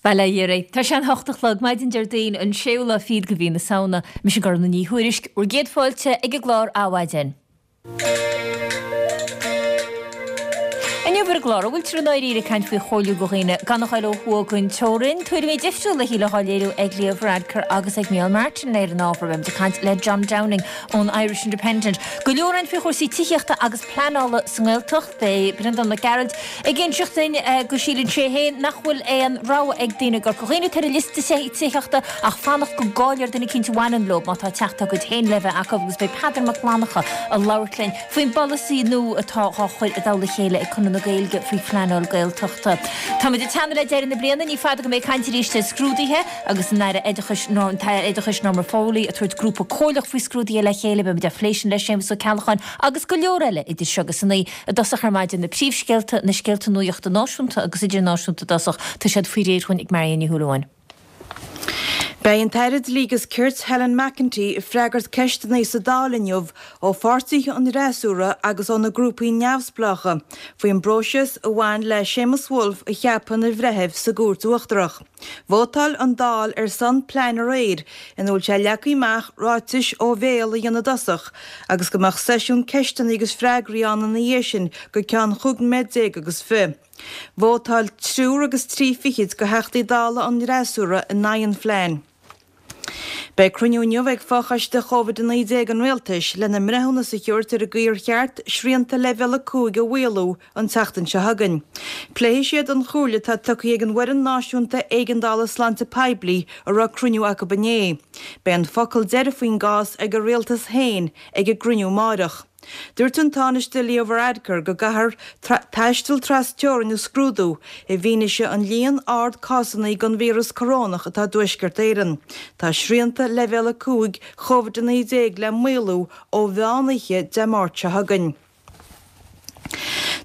Bail ó Dhia oraibh. Tá sé an hocht a chlog, maidin Déardaoin, an séú lá fichead de mhí na Samhna. Mise Gormfhlaith Ní Thuairisg, bhur gcéad fáilte ag an gclár Adhmhaidin. Inniu ar an gclár, an bhfuiltear i ndáiríre ag caint faoi chomhairliú do dhaoine gan a ghoil ó thuaidh den teorainn? Tuairimí difriúla a shíle dhá léiriú ag Leo Varadkar agus ag Micheál Martin ar an ábhar. Beimid ag caint le John Downing ón Irish Independent. Go leor ann faoi chúrsaí tithíochta agus pleanála sa nGaeltacht. Beidh Breandán Mac Gearailt ag inseacht duinn go síleann sé féin nach bhfuil aon rogha ag daoine i gCorca Dhuibhne atá ar an liosta tithíochta ach fanacht go gcáileofar duine eicínt a bhaineann leo má tá teach dá gcuid féin le bheith acu agus beidh Peadar Mac Fhlannchadha ag labhairt linn faoin bpolasaí nua atá dhá chur i dtoll a chéile ag Conradh na Gaeilge faoi phleanáil Gaeltachta. Táimid ag teannadh le deireadh na bliana, ní fada go mbeidh caint arís ar scrúduithe agus an Aire Oideachais an tAire Oideachais Norma Foley ag tabhairt grúpa comhairleach faoi scrúduithe le chéile. Beimid á phlé sin le Séamus Ó Ceallacháin Agus go leor eile idir seo agus a naoi i dtosach ar maidin, na príomhscéalta, na scéalta nuachta náisiúnta agus idirnáisiúnta i dtosach, tá siad faoi réir dhúinn ag Marion Ní Shúilleabháin. Beidh an tAire Dlí agus Cirt Helen McEntee ag freagairt ceisteanna sa Dáil inniu ó pháirtithe an fhreasúra agus ó na grúpaí neamhspleácha faoin bpróiseas a bhain le Séamus Woulfe a cheapadh ina bhreitheamh sa gCúirt Uachtarach. Vótáil an Dáil ar son plean aréir ina bhfuil sé leagtha amach ráitis ó bhéal a dhéanamh i dtosach agus go mbeadh seisiún ceisteanna agus freagraí ann ina dhiaidh sin go ceann chúig noiméad déag agus fi. Vótáil triúr agus trí fichid de Theachtaí Dála an fhreasúra in aghaidh an phlean. Beidh cruinniú inniu ag Fochoiste Covid-19 an Rialtais lena mbreithiúnas a thabhairt ar an gcaoi ar cheart srianta Leibhéal 5 a mhaolú an tseachtain seo chugainn. Pléifidh siad an chomhairle atá tugtha ag an bhFoireann Náisiúnta Éigeandála Sláinte Poiblí a raibh cruinniú acu inné. Beidh an focal deiridh faoin gcás ag an Rialtas féin ag an gcruinniú amáireach. Dúirt an Tánaiste Leo Varadkar go gcaithfear taisteal tras-teorainn a scrúdú i bhfianaise an líon ard cásanna den víreas corónach atá i dTuaisceart Éireann. Tá srianta Leibhéal 5 Covid-19 le maolú ó mheán oíche Dé Máirt seo chugainn.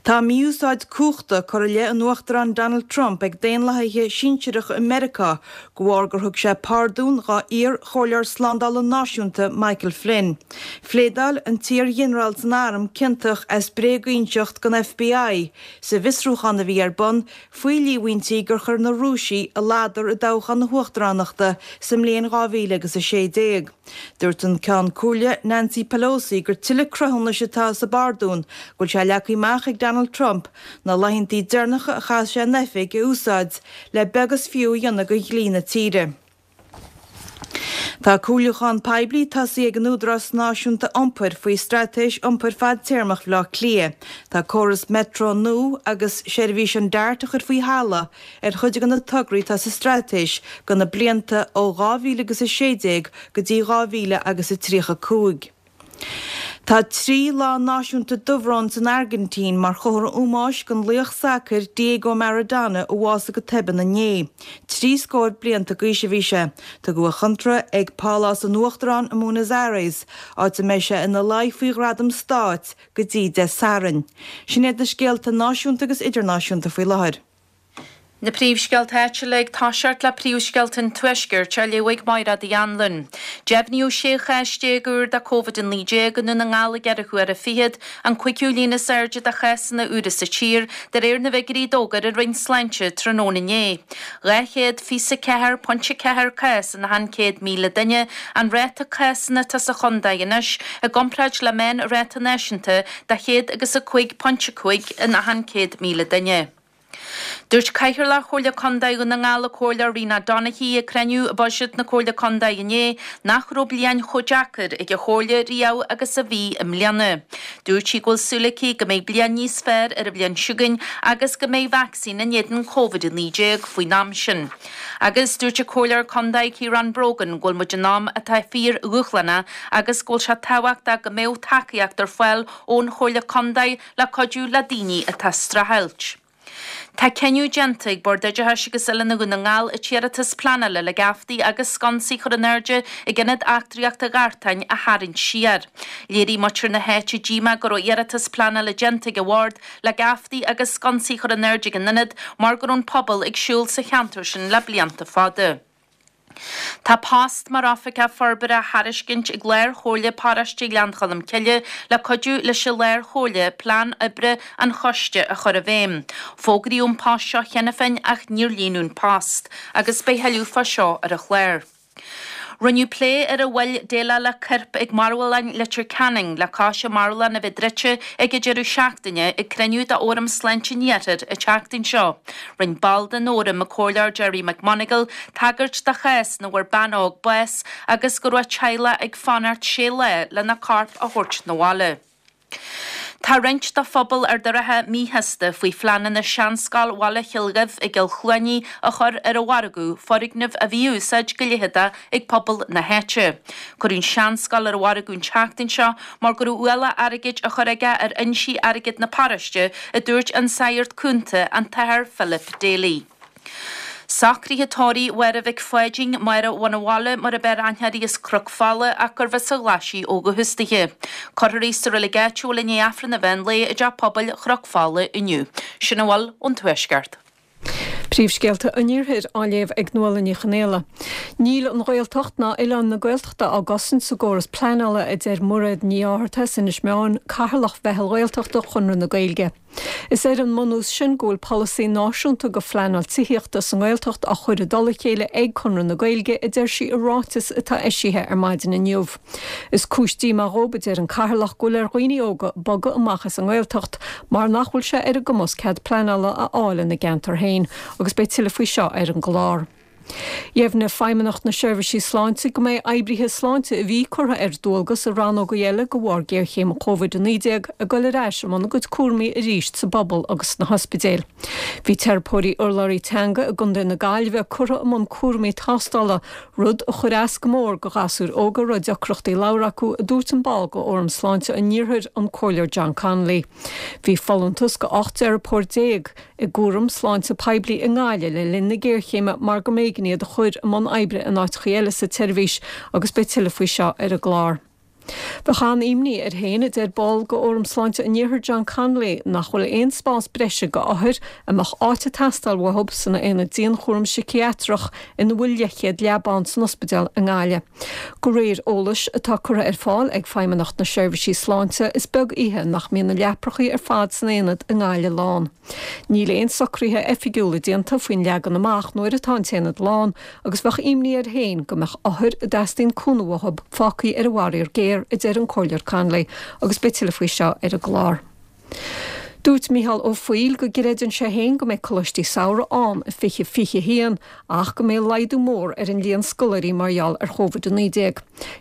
Tá mí-úsáid cumhachta curtha i leith an Uachtaráin Donald Trump ag daonlathaithe sinsearacha i Meiriceá de bharr gur thug sé pardún dhá iar-chomhairleoir slándála náisiúnta Michael Flynn. Phléadáil an t-iar-ghinearál san arm ciontach as bréaginseacht don FBI sa bhfiosrúchán a bhí ar bun faoi líomhaintí gur chuir na Rúisigh a ladar i dtoghchán na huachtaránachta sa mbliain 2016. Dúirt an Ceann Comhairle Nancy Pelosi gur tuilleadh cruthúnais atá sa bpardún go bhfuil sé leagtha amach ag Donald Trump na laethantaí deireanacha a chaith sé in oifig a úsáid le beag is fiú a dhéanamh de dhlí na tíre. Tá comhairliúchán poiblí tosaithe ag an Údarás Náisiúnta Iompair faoi Straitéis Iompair Fadtéarmach Bhaile Átha Cliath. Tá córas Metro nua agus seirbhís an Dart a chur faoi thalamh ar chuid de na tograí atá sa straitéis do na blianta ó 2016 go dtí 2035. Tá 3 lá náisiúnta dubhróin san Airgintín mar chomhartha ómóis don laoch sacair Diego Maradona a bhásaigh go toibeann inné. Trí scór blianta d'aois a bhí sé. Tugadh a chonradh ag Pálás an Uachtaráin i mBuenos Aires, áit a mbeidh sé ina luí faoi ghradam stáit go dtí Dé Sathairn. Sin iad na scéalta náisiúnta agus idirnáisiúnta faoi láthair. Na príomhscéalta áitiúla ag toiseacht le príomhscéalta an Tuaiscirt á léamh ag Máiréad Uí Anluain. Deimhníodh 16 chás úr de Covid-19 i nDún na nGall i gceithre huaire fichead, an cúigiú líon is airde de chásanna úra sa tír, de réir na bhfigiúirí a d'fhógair an Roinn Sláinte tráthnóna inné. 224.4 cás in achan 100,000 duine an ráta cásanna atá sa chontae anois, i gcomparáid le meánráta náisiúnta de 105.5 in achan 100,000 duine. Dúirt Cathaoirleach Chomhairle Contae Dhún na nGall, an Comhairleoir Rena Donaghey, ag cruinniú buiséid na Comhairle Contae inné nach raibh bliain chomh deacair ag an Chomhairle riamh agus a bhí i mbliana. Dúirt sí go bhfuil súil aici go mbeidh bliain níos fearr ar an bhliain seo chugainn agus go mbeidh vacsaín in éadan Covid-19 faoin am sin. Agus dúirt an Comhairleoir Contae Ciarán Brogan go bhfuil muid in am atá fíor-dhúshlánach agus go bhfuil sé tábhachtach go mbeadh tacaíocht ar fáil ón Chomhairle Contae le cuidiú le daoine atá ag streachailt. Tá cinneadh déanta ag Bord Oideachais agus Oiliúna Dhún na nGall an t-iarratas pleanála le geaftaí agus sconsaí a chur in airde ag Ionad Eachtraíochta Ghartáin a tharraingt siar. Léirigh muintir na háite díomá go raibh iarratas pleanála déanta ag an bhord le geaftaí agus sconsaí a chur in airde ag an ionad mar go raibh an pobal ag siúl sa cheantar sin le blianta fada. Tá post mar Oifigeach Forbartha á thairiscint ag Lár-Chomhairle Paróiste Ghleann Cholm Cille le cuidiú leis an Lár-Chomhairle plean oibre an choiste a chur i bhfeidhm. Fógraíodh an post seo cheana féin ach níor líonadh an post agus beidh thuilleadh fá seo ar an chlár. Rinneadh plé ar an mhoill déileáil le coirp ag marbhlann Leitir Ceanainn le cois an marbhlann a bheith druidte ag an deireadh seachtaine ag cruinniú d'Fhóram Sláinte an Iarthair an tseachtain seo. Rinne ball den fhóram, an Comhairleoir Gerry McMonagle, tagairt do chás ina bhfuair bean óg bás agus go raibh a teaghlach ag fanacht sé lá lena corp a thabhairt 'na bhaile. Tá roinnt de phobal Ard an Rátha míshásta faoi phleananna seanscoil Bhaile Chill Dhuibh i gCill Chluanaí a chur ar an mhargadh, foirgneamh a bhí á úsáid go leitheadach ag pobal na háite. Cuireadh an seanscoil ar an mhargadh an tseachtain seo mar go raibh ualach airgid á chur aige ar fhoinsí airgid na paróiste, a dúirt an Sagart Cúnta, an tAthair Philip Daly. Socruithe tórraimh Mháire Mhic Pháidín, Máire Bhun an Bhaile mar ab fhearr aithne uirthi as Cnoc Fola ach gurbh as an Ghlaisigh ó dhúchas dithe. Cuirfear í sa reilig áitiúil i ndiaidh Aifreann an mheán lae i dTeach Pobail Chnoc Fola inniu. Sin a bhfuil ón Tuaisceart. Príomhscéalta an Iarthair á léamh ag Nuala Ní Chonaola. Níl an Ghaeltacht ná oileáin na Gaeltachta á gcosaint sa gcóras pleanála, a deir Mairéad Ní Fhátharta as Inis Meáin, Cathaoirleach Mheitheal Ghaeltachta Chonradh na Gaeilge. Is ar an mbunús sin go bhfuil polasaí náisiúnta go phleanáil tithíochta sa nGaeltacht á chur i dtoll a chéile ag Conradh na Gaeilge, a deir sí i ráiteas atá eisithe ar maidin inniu. Is cúis díomá dhób, a deir an Cathaoirleach, go bhfuil ar dhaoine óga bogadh amach as an nGaeltacht mar nach bhfuil sé ar a gcumas cead pleanála a fháil ina gceantar féin agus beidh tuilleadh faoi seo ar an gclár. Dheimhnigh Feidhmeannacht na Seirbhísí Sláinte go mbeidh oibrithe sláinte a bhí curtha ar dualgas i rannógaí eile de bharr géarchéim Covid-19 ag dul ar ais i mbun a gcuid cúraimí arís sa bpobal agus sna hospidéil. Bhí teiripeoirí urlabhraí teanga i gContae na Gaillimhe curtha i mbun cúraimí tástála, rud a chuir as go mór go ghasúir óga a raibh deacrachtaí labhartha acu, a dúirt an ball de Fhóram Sláinte an Iarthair, an Comhairleoir John Connolly. Bhí folúntas de 18 teiripeoir i gcúram sláinte poiblí i nGaillimh le linn na géarchéime mar go mb'éigean iad a chur i mbun oibre in áiteachaí eile sa tseirbhís agus beidh tuilleadh faoi seo ar an gclár. Bheadh an-imní air féin, a deir ball de Fhóram Sláinte an Iarthair John Connolly, nach bhfuil aon spás breise go othair a mbeadh áit ag teastáil uathub san aonad dianchúram siciatrach ina bhfuil leathchéad leaba ann san ospidéal i nGaillimh. De réir eolais atá curtha ar fáil ag Feidhmeannacht na Seirbhísí Sláinte, is beag oíche nach mbíonn na leaprachaí ar fad san aonad i nGaillimh lán. Níl aon socruithe oifigiúla déanta faoin leagan amach nuair atá an t-aonad lán agus bheadh imní air féin go mbeadh othair a dteastaíonn cúnamh uathub fágthaí ar an bhfaraor géar, a deir an Comhairleoir Connolly, agus beidh tuilleadh faoi seo ar an gclár. Dúirt Micheál Ó Foighil go gcreideann sé féin go mbeidh coláistí samhraidh ann i 2021 ach go mbeidh laghdú mór ar an líon scoláirí mar gheall ar Chóvid-19.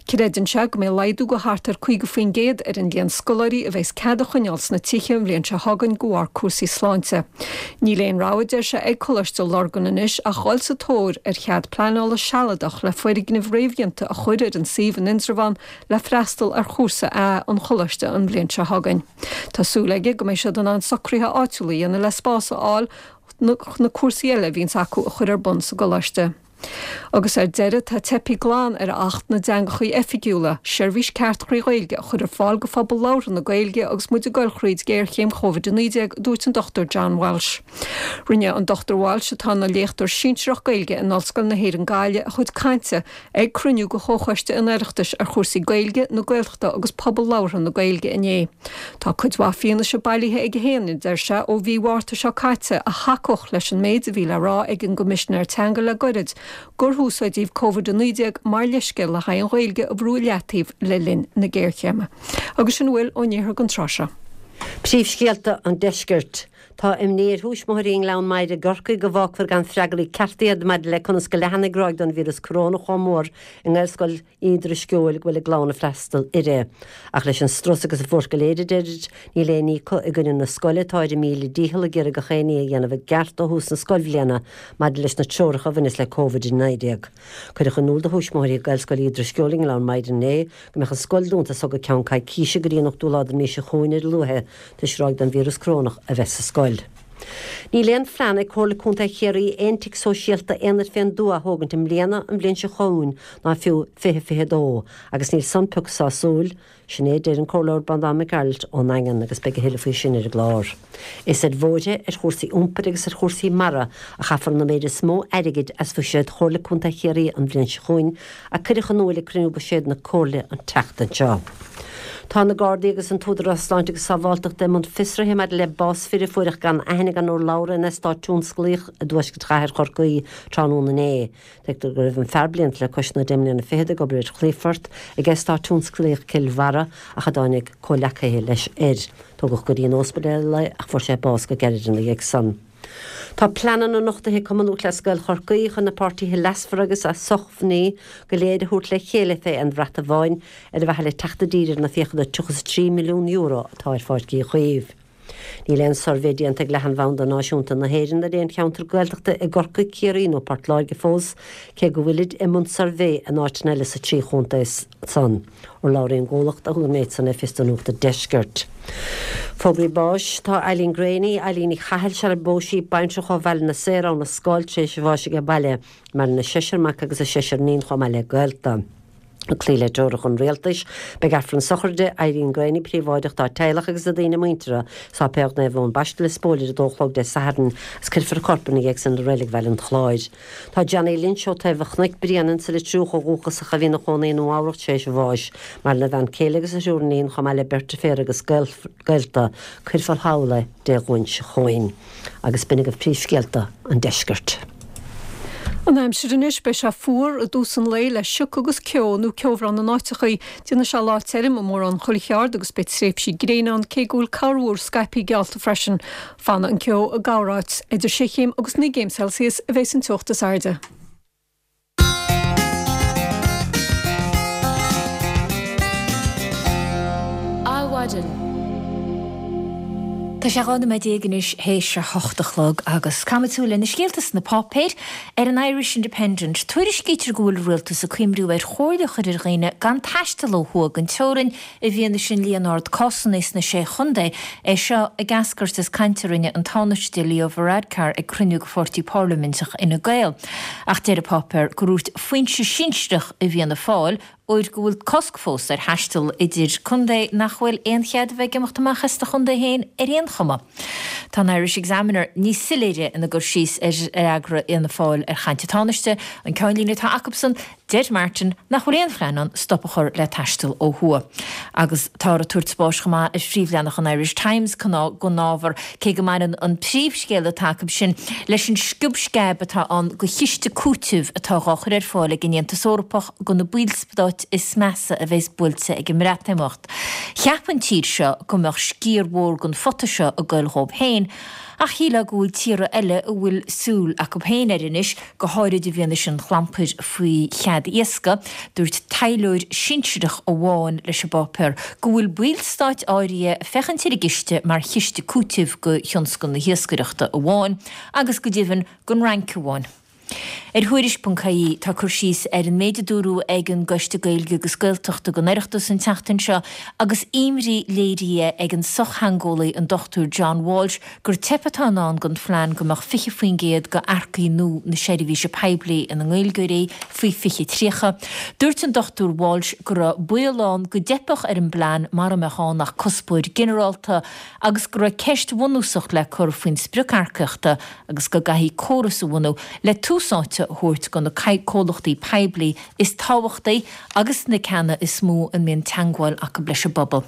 Creideann sé go mbeidh laghdú go thart ar 50% ar an líon scoláirí a bheas cead a choinneáil sna tithe an bhliain seo chugainn de bharr cúrsaí sláinte. Níl aon rogha, deir sé, ag Coláiste Lurgan anois ach dhul sa tóir ar chead pleanála sealadach le foirgneamh réamhdhéanta a chur ar an suíomh in Indreabhán le freastal ar chúrsa A an choláiste an bhliain seo chugainn. Tá súil aige go mbeidh siad in ann socruithe áitiúla a dhéanamh le spás a fháil chun na cúrsaí eile a bhíonns acu a chur ar bun sa gcoláiste. Agus ar deireadh, tá teipthe glan ar Acht na dTeangachaí Oifigiúla, seirbhís ceart thrí Ghaeilge a chur ar fáil go phobal labhartha na Gaeilge agus muid ag goil thríd géarchéim Covid-19, a dúirt an Dr John Walsh. Rinne an Dr Walsh, atá ina léachtóir sinsearach Gaeilge in Ollscoil na hÉireann Gaillimh, a chuid cainte Ag cruinniú de Chomhchoiste an Oireachtais ar chúrsaí Gaeilge, na Gaeltachta agus pobal labhartha na Gaeilge inné. Tá cuid mhaith fianaise bailithe aige féin, a deir sé, ó mhí Mhárta seo caite a thacódh leis an méid a bhí le rá ag an gCoimisinéir Teanga le goirid, gur húsáideadh Covid-19 mar leithscéal le haghaidh an Ghaeilge a bhrú i leataobh le linn na géarchéime. Agus sin a bhfuil ón iarthar don tráth seo. Príomhscéalta an Deiscirt. Tá imní ar thuismitheoirí i nGleann Maghair i gCorcaigh go bhfágfar gan freagraí cearta iad maidir le conas go leathanfaidh ráig den víreas corónach chomh mór i nGaelscoil Uí Drisceoil go bhfuil a gclann ag freastal uirthi. Ach leis an strus agus an bhuairt go léir, a deirid, níl aon ní acu i gcoinne na scoile atá ar a míle dícheall ag iarraidh gach aon ní a dhéanamh i gceart ó thús na scoilbhliana maidir leis na treoracha a bhaineas le Covid-19. Cuireadh in iúl do thuismitheoirí Ghaelscoil Uí Drisceoil i nGleann Maghair inné go mbeadh an scoil dúnta as so go ceann coicíse go dtí an 8ú lá den mhí seo chugainn ar a luaithe toisc ráig den víreas corónach a bheith sa scoil. Níl aon phlean ag Comhairle Contae Chiarraí aon tigh sóisialta aonair fén dtuath a thógaint i mbliana, an bhliain seo chugainn ná fiú 2022 agus níl san pioc sásúil. Sin é a deir an Comhairleoir Breandán Mac Gearailt ón nDaingean agus beidh a thuilleadh faoi sin ar an gclár. Is ar bhóithre, ar chúrsaí iompair agus ar chúrsaí mara a chaithfear an méid is mó airgid as bhuiséad Chomhairle Contae Chiarraí an bhliain seo chugainn, a cuireadh in iúil ag cruinniú buiséid na Comhairle an tseachtain seo. Tá na Gardaí agus an tÚdarás Sláinte agus Sábháilteachta i mbun fiosraithe maidir le bás fir a fuaireadh gan aithne gan urlabhra in eastát tionsclaíoch i dtuaisceart chathair Chorcaí tráthnóna inné. Tuigtear go raibh an fear blianta le cois na deich mbliana fichead ag obair ar chlaífort ag eastát tionsclaíoch Cill Bharra ach a dtáinig comhleacaithe leis air. Tógadh go dtí an óspidéal é ach fuair sé bás go gairid ina dhiaidh san. Tá pleananna nochtaithe ag Cumann Lúthchleas Gael Chorcaí chun na páirtithe leasmhara agus a sócmhainní go léir a thabhairt le chéile fé aon bhrat amháin ar mhaithe le teacht i dtír ar na fiacha de €33 milliún atá ar Pháirc Uí Chaoimh. Níl aon suirbhé déanta ag Leathanbhanda Náisiúnta na hÉireann ar aon cheantar Gaeltachta i gCorcaigh, Ciarraí nó Port Láirge fós, cé go bhfuilid i mbun suirbhé in áiteanna eile sa trí chontae san. Urlabhraí ón gcomhlacht a thug an méid san le fios do Nuacht an Deiscirt. Fógraí báis Tá Eileen Graney, Eileen Ní Chathail, sar ar phós sí, baintreach ó Bhaile na Saor, Abha na Scáil, tar éis a bháis age baile. Maireann a seisear mac agus a seisear iníon chomh maith le gaolta. Ag cloí le treoracha an Rialtais, beidh Aifreann sochraide Irene Graney príobháideach dá teaghlach agus do daoine muinteartha i Sáipéal Naomh Eoin Baiste Lios Póil ar a dó a chlog Dé Sathairn agus cuirfear a corp ina dhiaidh san i Reilig Bhaile an Chláir. Tá Johnny Lynch ó Taobh an Chnoic Bréanainn sa Leitriúch ó dhúchas ach a bhí ina chónaí i Nua Eabhrac tar éis a bháis. Maireann a bhean céile agus a thriúr iníon chomh maith le beirt deirféar agus gaolta. Cuirfear thall é Dé Luain seo chugainn. Agus b'in agaibh príomhscéalta an deiscirt. An aimsir anois, beidh sé fuar i dtús an lae le sioc agus ceo nó ceobhrán in áiteachaí. Déanfaidh sé lá tirim i mórán chuile cheard agus beidh tréimhsí gréine ann cé go bhfuil corrmhúr scaipthe geallta freisin. Fanfaidh an ceo i gcorráit. Idir sé chéim agus 9 gcéim Celsius a bheas an teocht is airde. Adhmhaidin. Tá sé 12 nóiméad anois théis a hocht a chlog agus caithfimid súil ar na scéalta sna páipéir. Ar an Irish Independent, tuairiscítear go bhfuil an rialtas ag cuimriú ar chomhairle a chur ar dhaoine gan taisteal ó thuaidh den teorainn I bhfianaise an líon ard cásanna sna Sé Chontae, é seo ag eascairt as caint a rinne an Tánaiste Leo Varadkar ag cruinniú de pháirtí parlaiminteach Fhine Gael. Ach deir an páipéar gur dhúirt foinse sinsearach i bhFianna Fáil óir go bhfuil cosc fós ar thaisteal idir contae nach bhfuil aon chead a bheith ag imeacht amach as do chontae féin ar aon chuma. Tá an Irish Examiner níos soiléire ina gcur síos ar fhreagra Fhianna Fáil ar chaint an Tánaiste, an ceannlíne atá acubsan, Deir Martin nach bhfuil aon phlean ann stop a chur le taisteal ó thuaidh. Agus táthar ag tabhairt spáis chomh maith ar phríomhleathanach an Irish Times don ábhar, cé go mbaineann an príomhscéal atá acu sin leis an sciob sceab atá ann do chiste cúitimh atá dhá chur ar fáil ag an Aontas Eorpach do na ballstáit is measa a bheas buailte ag an mBreatimeacht. Cheap an tír seo go mbeadh sciar mhór den phota seo ag goil dhóibh féin, ach shílfeá go bhfuil tíortha eile a bhfuil súil acu féin air anois, go háirid i bhfianaise an chlampair faoi chead iascaigh, dúirt taidhleoir sinsearach amháin leis an bpáipéar go bhfuil ballstáit áirithe ag féachaint ar an gciste mar chiste cúitimh do thionscal na hiascaireachta amháin agus go deimhin don Fhrainc amháin. Ar Thuairisc.ie tá cur síos ar an méid a dúradh ag an gCoiste Gaeilge agus Gaeltachta den Oireachtas an tseachtain seo agus imní léirithe ag an sochtheangeolaí an Dr John Walsh gur teip atá i ndán don phlean go mbeadh 20% d'earcaigh nua na seirbhíse poiblí ina nGaeilgeoirí faoi 2030. Dúirt an Dr Walsh go raibh baol ann go dteipfeadh ar an bplean mara mbeadh ann ach cuspóir ginearálta agus go raibh ceist bhunúsach le cur faoin sprioc earcaíochta agus go gcaithfí córas a bhunú le tús áite a thabhairt do na comhlachtaí poiblí is tábhachtaí agus na ceanna is mó a mbíonn teangmháil acu leis an bpobal.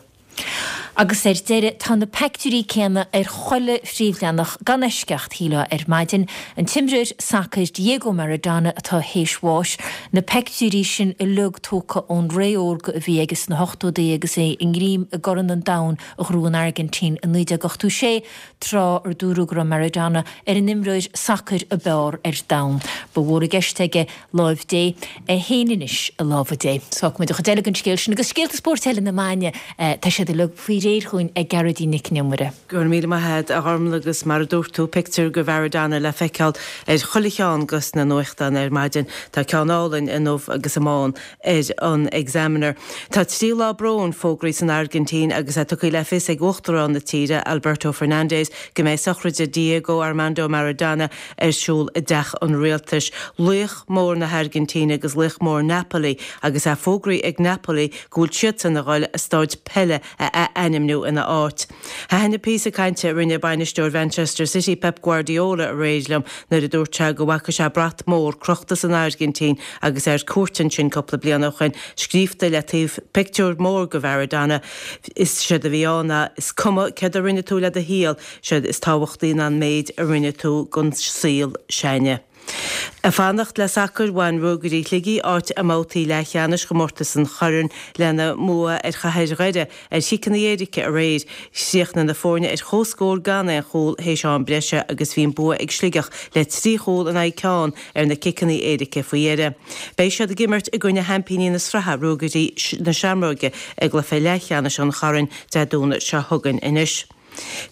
Agus ar deireadh, tá na peictiúirí céanna ar chuile phríomhleathanach, gan eisceacht, shílfeá, ar maidin. An t-imreoir sacair Diego Maradona atá théis bháis, na peictiúirí sin uilig tógtha ón ré órga a bhí aige sna hochtóidí agus é i ngreim i gCorn an Domhain a ghnóthaigh an Airgintín i 1986, tráth ar dúradh go raibh Maradona ar an imreoir sacair ab fhearr ar domhan. Ba mhór i gceist aige láimh Dé, é féin anois i lámha Dé. Fágfaidh muid an chuid eile den scéal sin agus scéalta spóirt eile na maidine, tá siad uilig faoi. réir chugainn ag Gearóidín Nic an Iomaire. Go raibh míle maith agat, a Ghormlaith, agus mar a dúirt tú, pictiúr de Mharadona le feiceáil ar chuile cheann de na nuachtáin ar maidin. Tá ceann álainn i ndubh agus i mbán ar an Examiner. Tá 3 lá bróin fógraithe san Airgintín agus é tugtha le fios ag Uachtarán na tíre, Alberto Fernández, go mbeidh sochraid Diego Armando Maradona ar siúl i dTeach an Rialtais. Laoch mór na hAirgintíne agus laoch mór Napoli agus é fógraithe ag Napoli go bhfuil siadsan a dhul a staid peile a ath-ainmniú ina áit. Thaitin an píosa cainte a rinne bainisteoir Mhanchester City Pep Guardiola aréir liom nuair a dúirt sé go bhfaca sé brat mór crochta san Airgintín agus é ar cuairt ansin cúpla bliain ó shin, scríobhta le taobh pictiúr mór de Mharadona. Is séard a bhí ann ná 'Is cuma céard a rinne tú le do shaol, séard is tábhachtaí ná an méid a rinne tú don saol s'againne'. Ag fanacht le sacar, bhain Ruagairí Shligigh áit i mbabhtaí leathcheannais chomórtas an Choirn lena mbua ar Chathair Dhoire ar chiceanna éirice aréir. Chríochnaigh na foirne ar comhscór gan aon chúl théis am breise agus bhí an bua ag Sligeach le 3 chúl in aghaidh ceann ar na ciceanna éirice faoi dheireadh. Beidh siad ag imirt i gcoinne sheaimpíní na sraithe, Ruagairí na Seamróige, i gcluiche leathcheannais an Choirn Dé Domhnaigh seo chugainn anois.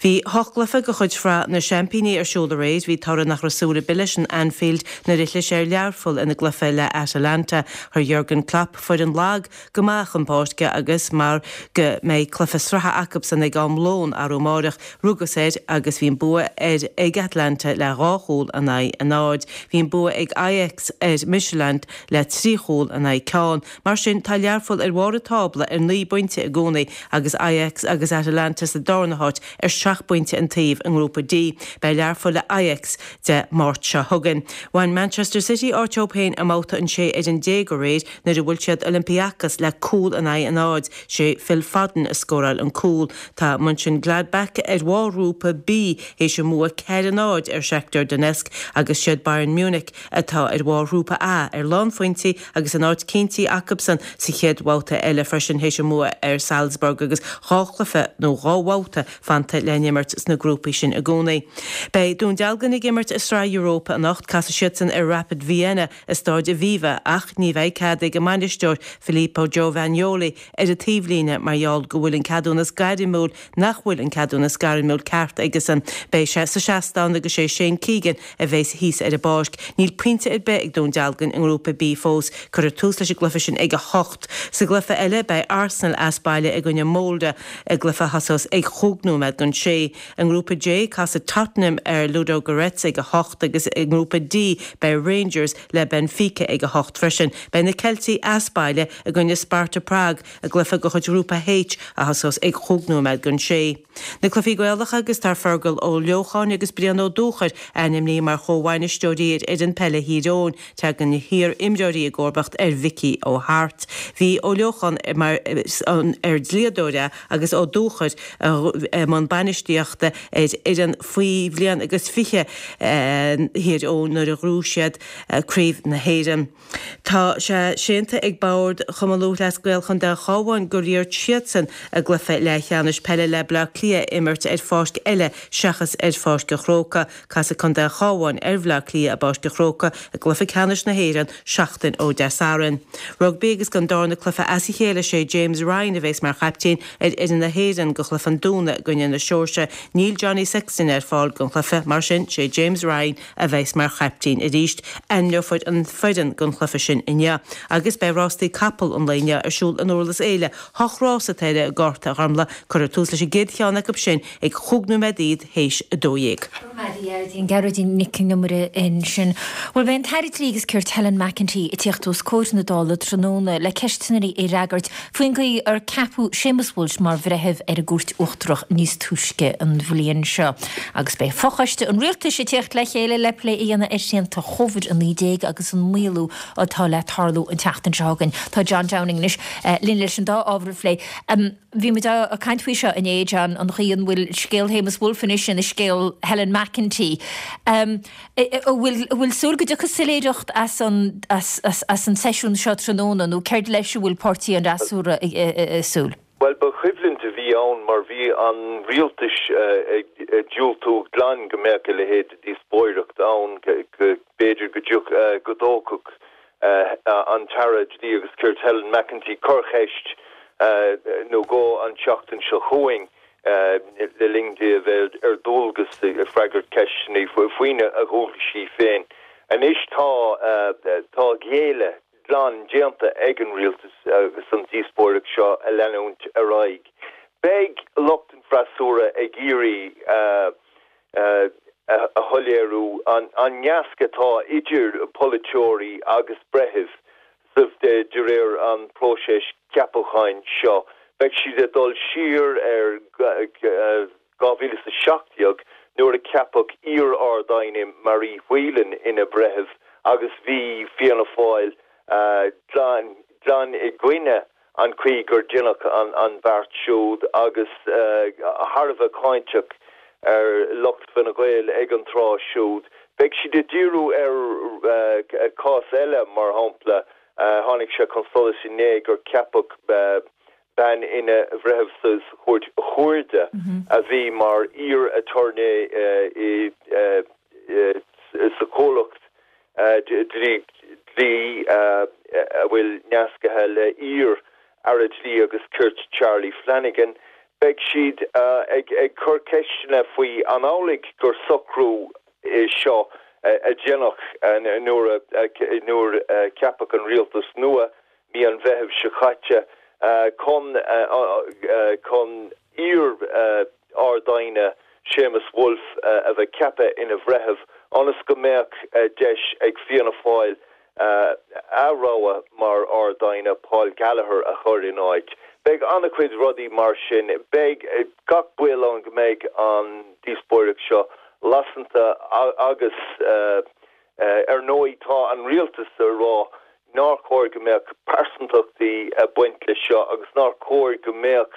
Bhí hocht gcluiche de chuid Shraith na Seaimpíní ar siúl aréir. Bhí toradh nach raibh súil ar bith leis in Anfield nuair a chlis ar Learpholl ina gcluiche le Atalanta. Chuir Jurgen Klopp foireann lag go maith chun páirce agus mar go mbeidh cluiche sraithe acubsan ag am lóin arú amáireach, rugas air agus bhí an bua ar ag Atalanta le 2 chúl in aghaidh a 0. Bhí an bua ag Ajax ar Midtjylland le 3 chúl in aghaidh ceann. Mar sin, tá Learpholl ar bharr an tábla ar 9 bpointe i gcónaí agus Ajax agus Atalanta sa darna háit ar 7 bpointe an taobh i nGrúpa D. Beidh Learpholl le Ajax Dé Máirt seo chugainn. Bhain Manchester City áit dóibh féin i mbabhta an 16 fhoireann aréir nuair a bhuail siad Olympiacos le cúl in aghaidh a 0. Sé Phil Foden a scóráil an cúl. Tá Mönchengladbach ar bharr Ghrúpa B théis a mbua 4-0 ar Shakhtar Donetsk agus siad Bayern Munich atá ar bharr Ghrúpa A ar lánphointí agus an áit cinntithe acubsan sa chéad bhabhta eile freisin théis a mbua ar Salzburg agus dhá chluiche nó dhá bhabhta fanta le n-imirt sna grúpaí sin i gcónaí. Beidh Dún Dealgan ag imirt i Sraith Europa anocht. Casfaidh siadsan ar Rapid Vienna i Stáid Aviva ach ní bheidh cead ag a mbainisteoir Filippo Giovagnoli ar an taobhlíne mar gheall go bhfuil an ceadúnas gairmiúil nach bhfuil an ceadúnas gairmiúil ceart aigesan. Beidh sé sa seastán agus sé Shane Keegan a bheas thíos ar an bpáirc. Níl pointe ar bith ag Dún Dealgan i nGrúpa B fós. Cuirfear tús leis an gcluiche sin ag 8. Sa gcluiche eile beidh Arsenal as baile i gcoinne Molde i gcluiche a thosós ag chúig nóiméad don sé. I nGrúpa J casfaidh Tottenham ar Ludogorets ag 8 agus i nGrúpa D beidh Rangers le Benfica ag 8 freisin. Beidh na Ceiltigh as baile i gcoinne Sparta Prague i gcluiche de chuid Ghrúpa H a thosós ag chúig nóiméad don sé. Na cluichí Gaelacha agus tá Fergal Ó Leocháin agus Brian Ó Dúchair ainmnithe mar chomhbhainisteoirí ar fhoireann peile Thír Eoghain. Tagann na hiar-imreoirí i gcomharbacht ar Mhicí Ó hAirt. Bhí Ó Leocháin mar ar dlíodóir é agus Ó Dúchair i mbun bainistíochta ar fhoireann faoi bhliain agus 20 Thír Eoghain nuair a ghnóthaigh siad Craobh na hÉireann. Tá sé séanta ag Bord Chumann Lúthchleas Gael Chontae an Chabháin gur iarr siadsan a gcluiche leathcheannais peile le Bleá Cliath a imirt ar pháirc eile seachas ar Pháirc an Chrócaigh. Casfaidh Contae an Chabháin ar Bhleá Cliath i bPáirc an Chrócaigh i gcluiche ceannais na hÉireann seachtain ó Dé Sathairn. Rugbaí agus don darna cluiche as a chéile sé James Ryan a bheas mar chaiptín ar fhoireann na hÉireann do chluiche an Domhnaigh i gcoinne na Seoirsia. Níl Johnny Sexton ar fáil don chluiche, mar sin sé James Ryan a bheas mar chaiptín arís. Ainmneofar an foireann don chluiche sin inniu agus beidh rástaí capall an lae inniu ar siúl in Durlas Éile. Hocht rás atá ar an gcárta, a Ghormlaith. Cuirfear tús leis an gcéad cheann acu sin ag chúig nóiméad théis 12. Gearóidín Nic an Iomaire ansin. Bhuel, beidh an tAire Dlí agus Cirt Helen McEntee ag tíocht os comhair na Dála tráthnóna le ceisteanna a fhreagairt faoin gcaoi ar ceapadh Séamus Walsh mar bhreitheamh ar an gCúirt Uachtarach níos túisce an bhliain seo. Agus beidh fochoiste an Rialtais ag tíocht le chéile le plé a dhéanamh ar shrianta Covid-19 agus an maolú atá le tarlú an tseachtain seo chugainn. Tá John Downing anois linn leis an dá ábhar a phlé. Bhí muid ag caint faoi seo inné, John, an chaoi an bhfuil scéal Shéamus Woulfe anois ina scéal Helen McEntee. An bhfuil, an bhfuil súil go dtiocfaidh soiléireacht as an, as, as, as an seisiún seo tráthnóna nó céard leis a bhfuil páirtí an fhreasúra ag, ag súil? Bhuel, ba choimhlint a bhí ann mar bhí an rialtas ag diúltú glan go mbeadh a leithéid de dhíospóireacht ann, go b'fhéidir go dtiocfadh, go dtógfadh an tAire Dlí agus Cirt Helen McEntee corrcheist. nó dhó an tseachtain seo chugainn le linn di a bheith ar dualgas ag freagairt ceisteanna faoina dhualgaisí féin. Anois tá tá géilleadh glan déanta ag an rialtas agus an díospóireacht seo a leanúint ar aghaidh. Beidh lucht an freasúra ag iarraidh a shoiléiriú an nasc atá idir polaiteoirí agus breithimh de réir an próiseas ceapacháin seo. Beidh siad ag dul siar ar 2017 nuair a ceapadh iar-Ard-Aighne Marie Whelan ina breitheamh agus bhí Fianna Fáil glan glan i gcoinne an chaoi gur deineadh an beart siúd agus thar a bheith cáinteach ar lucht Fine Gael ag an tráth siúd. Beidh siad ag díriú ar chás eile, mar shampla, tháinig sé chun solais inné gur ceapadh bean ina bhreitheamh sa Chúirt Chuarda a bhí mar iar-aturnae sa chomhlacht dlí a bhfuil nascaithe le iar-Aire Dlí agus Cirt Charlie Flanagan. Beidh siad ag cur ceisteanna faoi an amhlaidh gur socrú é seo a deineadh nuair a ceapadh an rialtas nua mí an Mheithimh seo caite chun chun iar-Ard-Aighne Séamus Woulfe a bheith ceaptha ina bhreitheamh ionas go mbeadh deis ag Fianna Fáil a rogha mar Ard-Aighne, Paul Gallagher, a chur in áit. Beidh an-chuid rudaí mar sin. Beidh gach baol ann go mbeidh an díospóireacht seo lasanta agus Ar ndóigh, tá an rialtas ag rá nár chóir go mbeadh pearsantachtaí ag baint leis seo agus nár chóir go mbeadh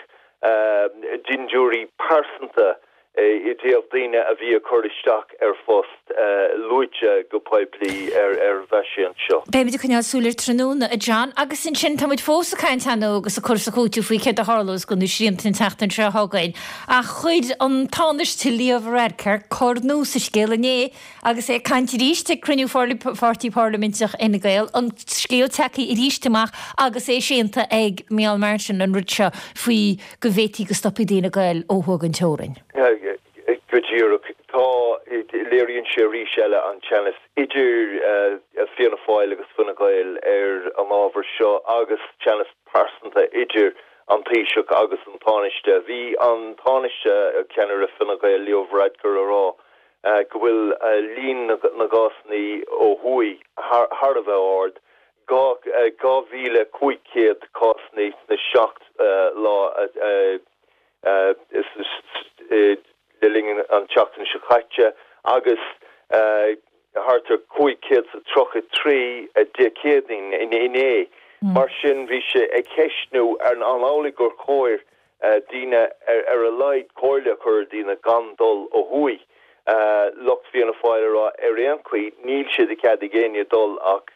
dindiúirí pearsanta i dtaobh daoine a bhí ag cur isteach ar phost luaite go poiblí ar bheidh sé anseo. Beimid ag coinneáil súil air tráthnóna, a John. Agus ansin, tá muid fós ag caint ar ndóigh agus ag cur is ag cúiteamh faoi céard a tharlós do na srianta an tseachtain seo chugainn. Ach chuir an Tánaiste Leo Varadkar cor nua sa scéal inné Agus é ag caint arís ag cruinniú pháirtí parlaiminteach Fhine Gael, an scéal tagtha arís amach agus é séanta ag Micheál Martin an rud seo faoi go bhféadfaí go stopfaí daoine ag goil ó thuaidh den teorainn. Go díreach. Tá, léiríonn sé arís eile an teannas idir Fianna Fáil agus Fine Gael ar an ábhar seo agus teannas pearsanta idir an Taoiseach agus an Tánaiste. Bhí an Tánaiste, ceannaire Fine Gael, Leo Varadkar a rá go bhfuil líon na gcásanna ó thuaidh thar a bheith ard, 2,500 cásanna sna 7 lá le linn an tseachtain seo caite agus thart ar 533 Dé Céadaoin, inné. Mar sin bhí sé ag ceistniú an amhlaidh gur chóir daoine, ar a laghad comhairle a chur ar dhaoine gan dul ó thuaidh. Lucht Fianna Fáil ag rá ar aon chaoi níl sé de chead ag éinne dul ach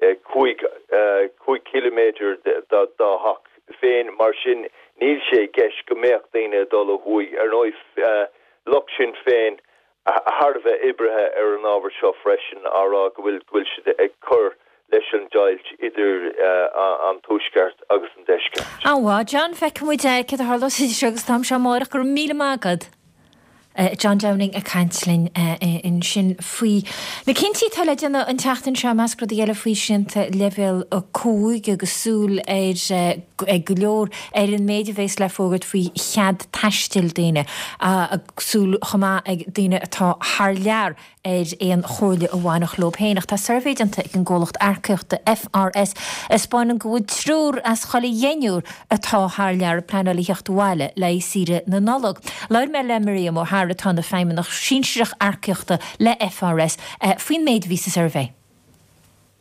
5 chiliméadar dá dteach féin, mar sin níl sé i gceist go mbeadh daoine ag dul ó thuaidh. Ar ndóigh, lucht Sinn Féin thar a bheith oibrithe ar an ábhar seo freisin, á rá go bhfuil go bhfuil siad ag cur leis an deighilt idir an Tuaisceart agus an Deisceart. An-mhaith, John. Feicfidh muid céard a tharlós idir seo agus an t-am seo amárach. Go raibh míle maith agat. John Downing ag caint linn ansin faoi na cinntí atá le déanamh an tseachtain seo, i measc rudaí eile faoi shrianta leibhéal 5 agus súil ar ag go leor ar an méid a bhéas le fógairt faoi chead taistil daoine. Súil chomh maith ag daoine atá thar lear ar aon chomhairle a bhainfeadh leo féin. Ach tá suirbhé déanta ag an gcomhlacht earcaíochta FRS a 'spáineann go bhfuil triúr as chuile dheichniúr atá thar lear ag pleanáil a theacht abhaile le haghaidh saoire na Nollag. Labhair mé le Miriam O'Hara atá ina feidhmeannach sinsearach earcaíochta le FRS faoin méid a bhí sa suirbhé.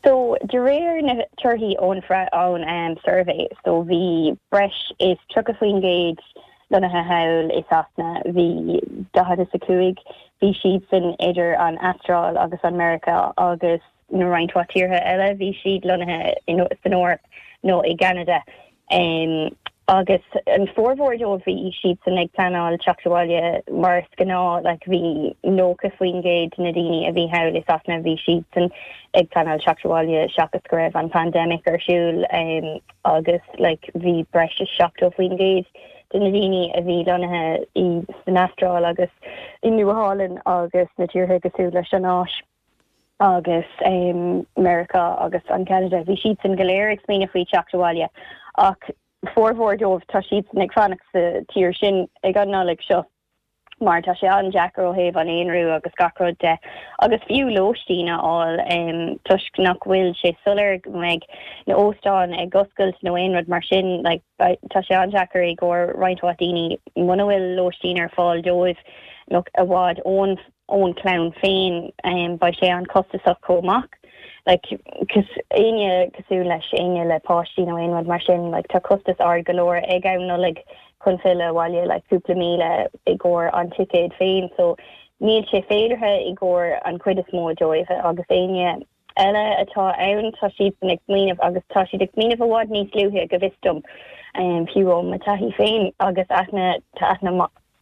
So, de réir na torthaí ón ón suirbhé, so bhí breis is 30% lonnaithe thall i Sasana, bhí 45, bhí siadsan idir an Astráil agus an Meiriceá agus na roinnt mhaith tíortha eile, bhí siad lonnaithe san Eoraip nó i gCeanada. Agus an formhór dóibh bhí siadsan ag pleanáil teacht abhaile mar is gnáth, like bhí 90% de na daoine a bhí thall i Sasana bhí siadsan ag pleanáil teacht abhaile seachas go raibh an pandemic ar siúl agus like bhí breis is 70% de na daoine a bhí lonnaithe i san Astráil agus i Nua Sheálainn agus na tíortha cosúil leis an Áis. agus Meiriceá agus an Ceanada, bhí siadsan go léir ag smaoineamh faoi teacht abhaile ach formhór dóibh tá siadsan ag fanacht sa tír sin ag an Nollaig seo mar tá sé an-deacair ó thaobh an aonrú agus gach rud de agus fiú lóistín a fháil toisc nach bhfuil sé soiléir go mbeidh na óstáin ag oscailt nó aon rud mar sin like tá sé an-deacair i gcomhair roinnt mhaith daoine muna bhfuil lóistín ar fáil dóibh nó i bhfad ón ón chlann féin, beidh sé an-chostasach chomh maith. Like, cos, éinne cosúil leis, éinne le páistí nó aon rud mar sin, like, tá costas ard go leor ag am Nollaig chun filleadh abhaile, like, cúpla míle i gcomhair an ticéad féin. So, níl sé féideartha i gcomhair an chuid is mó dóibh agus éinne eile atá ann, tá siadsan ag smaoineamh agus tá siad ag smaoineamh i bhfad níos luaithe go bhfios dom, fiú ó mo taithí féin agus aithne, tá aithne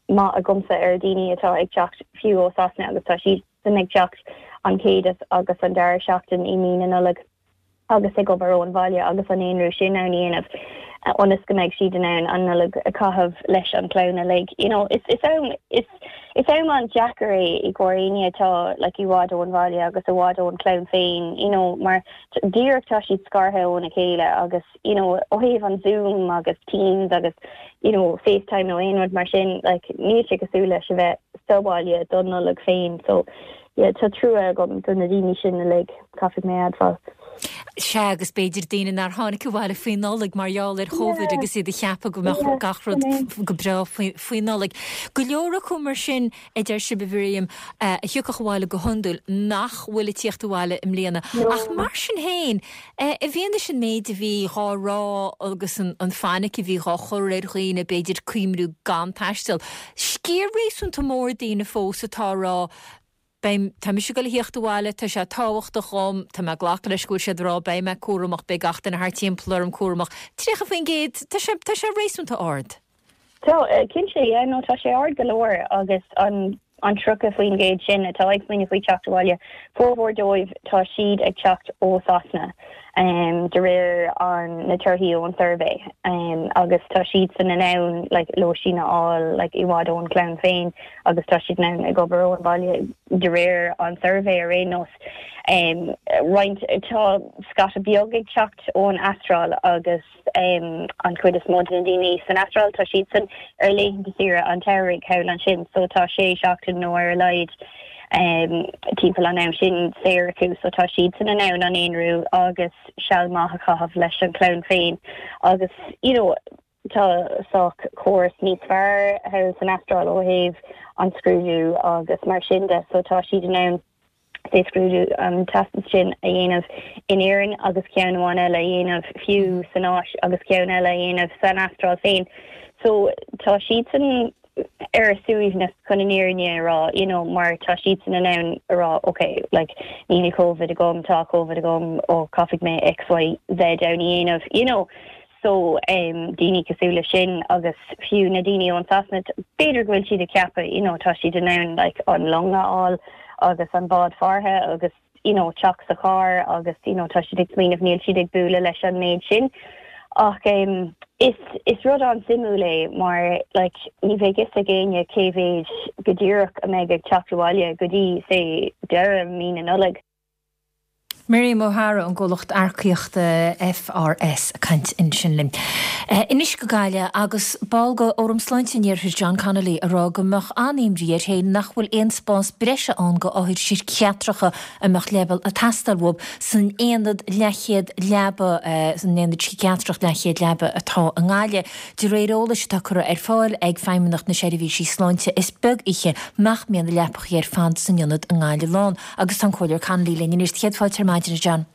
maith agamsa ar daoine atá ag teacht fiú ó Sasana agus tá siadsan ag teacht an chéad agus an dara seachtain i mí na Nollag agus ag obair ón bhaile agus an aonrú sin á dhéanamh ionas go mbeidh siad in ann an Nollaig a chaitheamh leis an chlann uilig. You know, is is am is is am an-deacair é i gcomhair éinne atá like i bhfad ón bhaile agus i bhfad ón chlann féin, you know, mar díreach tá siad scartha óna chéile agus you know, ó thaobh an Zoom agus Teams agus, you know, FaceTime nó aon rud mar sin, like, níl sé cosúil leis a bheith sa bhaile don Nollaig féin. So, yeah, tá trua agam do na daoine sin uilig, caithfidh mé a admháil. Sea, agus b'fhéidir daoine nár tháinig abhaile faoi Nollaig mar gheall ar Covid agus iad ag ceapadh go mbeadh gach rud go breá faoi Nollaig. Go leor acu mar sin, a deir sibh, a Mhiriam, a thiocfadh abhaile go hiondúil, nach bhfuil ag tíocht abhaile i mbliana. Ach mar sin féin, i bhfianaise an méid a bhí dhá rá agus an fainic a bhí dhá chur ar dhaoine, b'fhéidir cuimhniú gan taisteal, sciar réasúnta mór daoine fós atá ag rá, Beidh, tá mise ag dul a thíocht abhaile, tá sé tábhachtach dhom, tá mé ag glacadh leis go bhfuil siad ag rá beidh mé cúramach, beidh gach duine thart timpeall orm cúramach. 30%, tá sé, tá sé réasúnta ard. Tá, cinnte, yeah, no, tá sé ard go leor agus an an 30% sin atá ag smaoineamh faoi teacht abhaile, formhór dóibh tá siad ag teacht ó Sasana de réir an na torthaí ón suirbhé agus tá siadsan in ann like lóistín a fháil like i bhfad ón chlann féin agus tá siad in ann ag obair ón bhaile de réir an suirbhé ar aon nós. Roinnt tá scata beag ag teacht ón Astráil agus an chuid is mó de na daoine san Astráil, tá siadsan ar laethanta saoire an tsamhraidh thall ansin so tá sé seachtain nó ar a laghad timpeall an am sin saor acu so tá siadsan in ann an aonrú agus seal maith a chaitheamh leis an chlann féin agus you know tá sách córas níos fearr thall san Astráil ó thaobh an scrúdú agus mar sin de so tá siad in ann sé scrúdú an teastas sin a dhéanamh in Éirinn agus ceann amháin eile a dhéanamh fiú san Áis agus ceann eile a dhéanamh san Astráil féin. So tá siadsan ar a suaimhneas chun an fhírinne a rá, you know, mar tá siadsan in ann a rá ok, like níl Covid agam, tá Covid agam, ó caithfidh mé X, Y, Z ann a dhéanamh, you know. So daoine cosúil leis sin agus fiú na daoine ón Sasana, b'fhéidir go bhfuil siad ag ceapadh, you know, tá siad in ann like an long a fháil agus an bád farraige agus you know teacht sa charr agus you know tá siad ag smaoineamh níl siad ag bualadh leis an méid sin. Ach um, is, is rud an-suimiúil é mar like ní bheidh fhios ag éinne cé mhéid go díreach a mbeidh ag teacht abhaile go dtí say deireadh mí na Nollag. Miriam O'Hara ón gcomhlacht earcaíochta FRS ag caint ansin linn. Anois go Gaillimh agus ball de Fhóram Sláinte an Iarthair John Connolly ag rá go mbeadh an-imní air féin nach bhfuil aon spás breise ann go othair síciatracha a mbeadh leibhéal ag teastáil uathu san aonad leathchéad leaba san aonad síciatrach leathchéad leaba atá i nGaillimh. De réir eolais atá curtha ar fáil ag Feidhmeannacht na Seirbhísí Sláinte is beag oíche nach mbíonn na leapachaí ar fad san ionad i nGaillimh lán. Agus tá an Comhairleoir Connolly linn anois. Céad fáilte ar maidin, a John.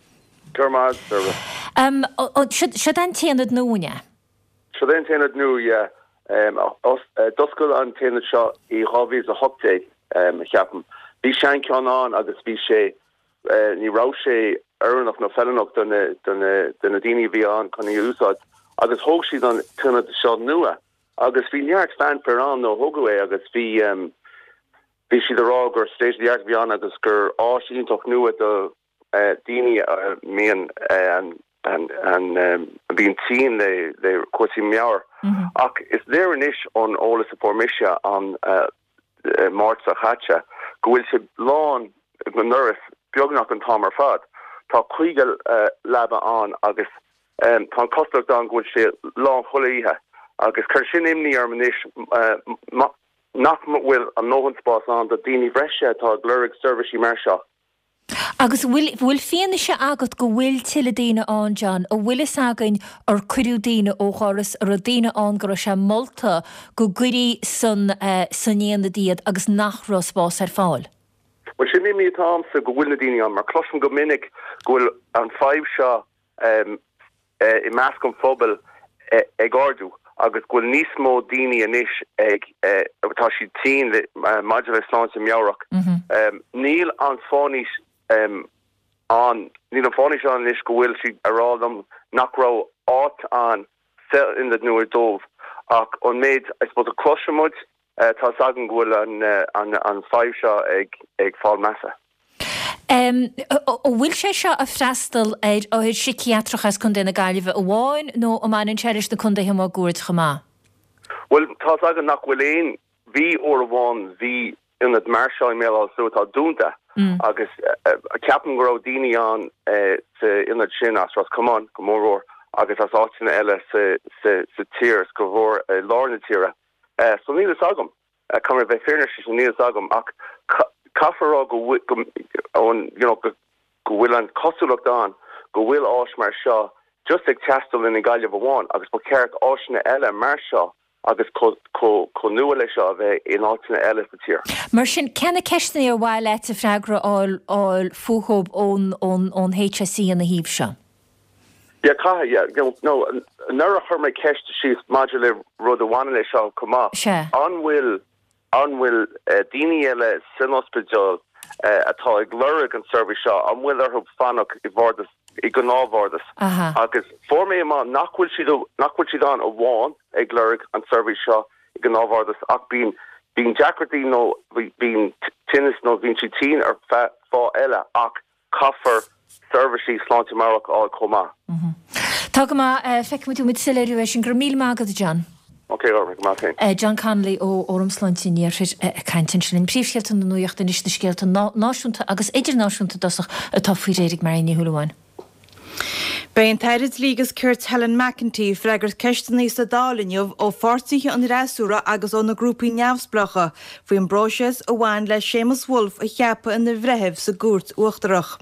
Go raibh maith agat, Deirbhile. Siod é an t-aonad nua, an ea? Siod é an t-aonad nua, yeah. D'oscail an t-aonad seo i 2018, cheapaim. Bhí seancheann ann agus bhí sé, ní raibh sé oiriúnach nó feiliúnach do na daoine a bhí ann chun í a úsáid. Agus thóg siad an t-ionad seo nua agus bhí neart fanfare ann nuair a thógadh é agus bhí bhí siad ag rá gur state of the art a bhí ann agus gur áis iontach nua do daoine a mbíonn a bhíonn tinn le le cúrsaí meabhair. Ach is léir anois ón eolas a fuair mise an Máirt seo chaite go bhfuil sé lán go ndoras beagnach an t-am ar fad. Tá 50 leaba ann agus tá an chosúlacht ann go bhfuil sé lán chuile oíche agus cuireann sin imní orm anois nach bhfuil a ndóthain spás ann do daoine bhreise atá ag lorg seirbhísí mar seo. Agus an bhfuil, bhfuil fianaise agat go bhfuil tuilleadh daoine ann, John? An bhfuil fhios againn ar cuireadh daoine ó dhoras, an raibh daoine ann go raibh sé molta go gcuirí san, san aonad iad agus nach raibh spás ar fáil? Bhuel, sin imní atá a'msa, go bhfuil na daoine ann, mar cloisim go minic go bhfuil an fadhb seo i measc an phobail ag ardú agus go bhfuil níos mó daoine anois ag, tá siad tinn maidir le sláinte meabhrach. Níl an fánaís ann, níl an fánaís ann anois go bhfuil siad a rá liom nach raibh áit ann sa ionad nua dóibh ach an méid I suppose a chloiseann muid Tá 's agam go bhfuil an fadhb seo ag fáil measa. An bhfuil sé seo ag freastal ar othair síciatracha as Contae na Gaillimhe amháin nó an mbaineann sé leis na contaetha máguaird chomh maith? Bhuel, tá 's agam nach bhfuil aon, bhí uair amháin, bhí ionad mar seo i mBéal Átha Sluaighe atá dúnta agus ceapaim go raibh daoine ann sa ionad sin as Ros Comáin go mórmhór agus as áiteanna eile sa tír is go mhór i lár na tíre. So níl fhios agam. Caithfidh mé bheith fírinneach leis sin, níl fhios agam. Ach caithfear a rá go you know go bhfuil an chosúlacht ann go bhfuil áis mar seo just ag teastáil i nGaillimh amháin agus ba cheart áiseanna eile mar seo agus chomh nua leis seo a bheith in áiteanna eile sa tír. Mar sin, cé na ceisteanna ar mhaith leat freagra a fháil fúthu ón HSE ina thaobh seo? Yeah, caithfidh, yeah. You know, anuraidh chuir mé ceist síos maidir le rud a bhaineann leis seo chomh maith. Sea. An bhfuil, an bhfuil daoine eile san ospidéal atá ag lorg an seirbhís seo, an bhfuil orthu fanacht i bhardas, i ngnáthbhardas? Aha. Agus fuair mé amach nach bhfuil siad, nach bhfuil siad ann amháin ag lorg an seirbhís seo i ngnáthbhardas ach bíonn, bíonn deacrachtaí nó bíonn tinneas nó bíonn siad tinn ar feadh fáth eile ach Caithfear seirbhísí sláinte meabhrach a fháil chomh maith. Tá go maith. Feicfimid uaimid soiléiriú air sin. Go raibh míle maith agat, a John. Ok, go raibh maith agat féin. John Connolly ó Fhóram Sláinte an Iarthair ag caint ansin linn. Príomhscéalta na nuachta anois, na scéalta náisiúnta agus idirnáisiúnta i dtosach atá faoi réir ag Marion Ní Shúilleabháin. Beidh an tAire Dlí agus Cirt Helen McEntee ag freagairt ceisteanna sa Dáil inniu ó pháirtithe an fhreasúra agus ó na grúpaí neamhspleácha faoin bpróiseas a bhain le Séamus Woulfe a cheapadh ina bhreitheamh sa gCúirt Uachtarach.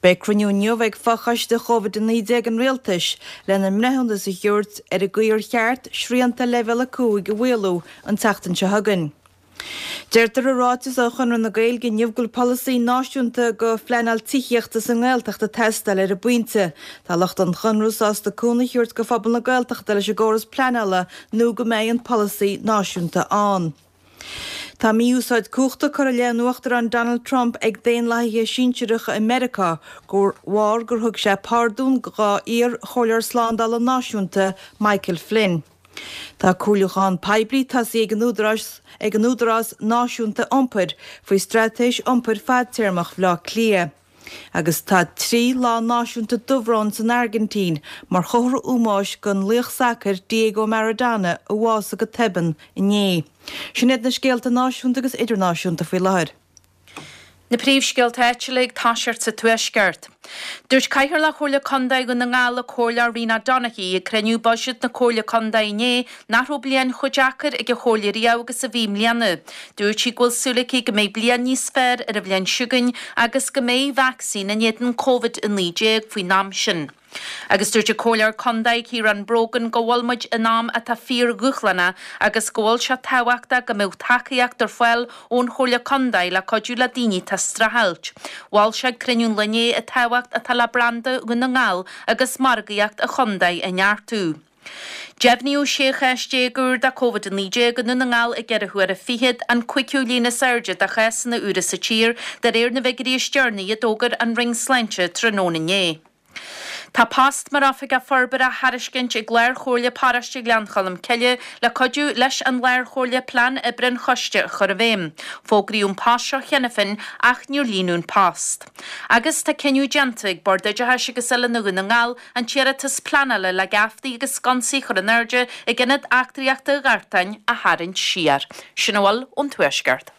Beidh cruinniú inniu ag Fochoiste Covid-19 an Rialtais lena mbreithiúnas a thabhairt ar an gcaoi ar cheart srianta Leibhéal 5 a mhaolú an tseachtain seo chugainn. Deirtear i ráiteas ó Chonradh na Gaeilge inniu go bhfuil polasaí náisiúnta do phleanáil tithíochta sa nGaeltacht ag teastáil ar an bpointe. Tá lucht an Chonradh sásta cúnamh a thabhairt do phobal na Gaeltachta leis an gcóras pleanála nó go mbeidh an polasaí náisiúnta ann. Tá mí-úsáid cumhachta curtha i leith an Uachtaráin Donald Trump ag daonlathaithe sinsearacha i Meiriceá de bharr gur thug sé pardún dá iar-chomhairleoir slándála náisiúnta Michael Flynn. Tá comhairliúchán poiblí tosaithe ag an Údarás ag an Údarás Náisiúnta Iompair faoi straitéis iompair fadtéarmach Bhaile Átha Cliath. Agus tá 3 lá náisiúnta dubhróin san Airgintín mar chomhartha ómóis don laoch sacair Diego Maradona a bhásaigh go tobann inné. Sin iad na scéalta náisiúnta agus idirnáisiúnta faoi láthair. Na príomhscéalta áitiúla ag toiseacht sa Tuaisceart. Dúirt Cathaoirleach Chomhairle Contae Dhún na nGall, an Comhairleoir Rena Donaghey, ag cruinniú buiséid na Comhairle Contae inné nach raibh bliain chomh deacair ag an Chomhairle riamh agus a bhí i mbliana. Dúirt sí go bhfuil súil aici go mbeidh bliain níos fearr ar an bhliain seo chugainn agus go mbeidh vacsaín in éadan Covid-19 faoin am sin. Agus dúirt an Comhairleoir Contae Ciarán Brogan go bhfuil muid in am atá fíor-dhúshlánach agus go bhfuil sé tábhachtach go mbeadh tacaíocht ar fáil ón Chomhairle Contae le cuidiú le daoine atá ag streachailt. Mhol sé ag cruinniú an lae inné an tábhacht atá le branda Dhún na nGall agus margaíocht an chontae a neartú. Deimhníodh 16 chás úr de Covid-19 i nDún na nGall ag ceithre huaire fichead, an cúigiú líon is airde de chásanna úra sa tír, de réir na bhfigiúirí is deireanaí a d'fhógair an Roinn Sláinte tráthnóna inné. Tá post mar Oifigeach Forbartha á thairiscint ag Lár-Chomhairle Paróiste Ghleann Cholm Cille le cuidiú leis an Lár-Chomhairle plean oibre an choiste a chur i bhfeidhm. Fógraíodh an post seo cheana féin ach níor líonadh an post. Agus tá cinneadh déanta ag Bord Oideachais agus Oiliúna Dhún na nGall an t-iarratas pleanála le geaftaí agus sconsaí a chur in airde ag Ionad Eachtraíochta Ghartáin a tharraingt siar. Sin a bhfuil ón Tuaisceart.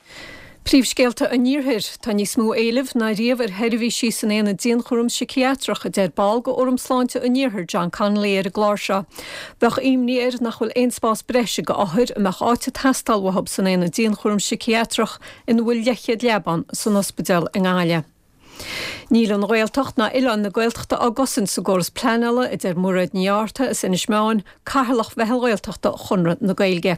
Príomhscéalta an Iarthair. Tá níos mó éilimh ná riamh ar sheirbhísí san aonad dianchúraim siciatreach, a deir ball de Fhóram Sláinte an Iarthair, John Connolly ar an gclár seo. Bheadh imní air nach bhfuil aon spás breise go othair a mbeadh áit ag teastáil uathu san aonad dianchúraim siciatreach ina bhfuil leathchéad leaba ann san ospidéal i nGaillimh. Níl an Ghaeltacht ná oileáin na Gaeltachta á gcosaint sa gcóras pleanála, a deir Mairéad Ní Fhátharta as Inis Meáin, Cathaoirleach Mheitheal Ghaeltachta Chonradh na Gaeilge.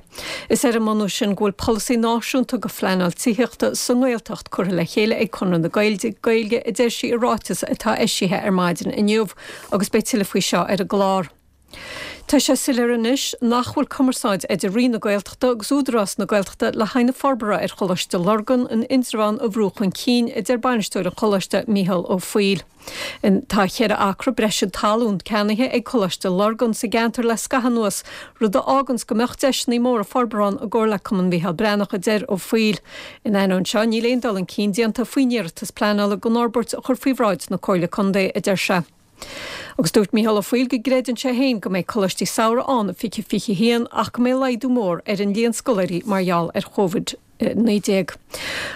Is ar an mbunús sin go bhfuil polasaí náisiúnta go phleanáil tithíochta sa nGaeltacht curtha le chéile ag Conradh na Gaeilge, a deir sí i ráiteas atá eisithe ar maidin inniu, agus beidh tuilleadh faoi seo ar an gclár. Tá sé soiléir anois nach bhfuil cumarsáid idir Roinn na Gaeltachta agus Údarás na Gaeltachta le haghaidh na forbartha ar Choláiste Lurgan in Indreabhán a bhrú chun cinn, a deir bainisteoir an choláiste, Mícheál Ó Foighil. Tá cheithre acra breise talún ceannaithe ag Coláiste Lurgan sa gceantar le scaitheamh anuas, rud a fháganns go mbeadh deiseanna móra forbartha ann i gcomhar le Cumann Mhícheál Breathnach, a deir Ó Foighil. In ainneoin seo, níl aon dul chun cinn déanta faoin iarratas pleanála don fhorbairt a chur faoi bhráid na Comhairle Contae, a deir sé. Agus dúirt Mícheál Ó Foighil go gcreideann sé féin go mbeidh coláistí samhraidh ann i 2021 ach go mbeidh laghdú mór ar an líon scoláirí mar gheall ar Covid-19.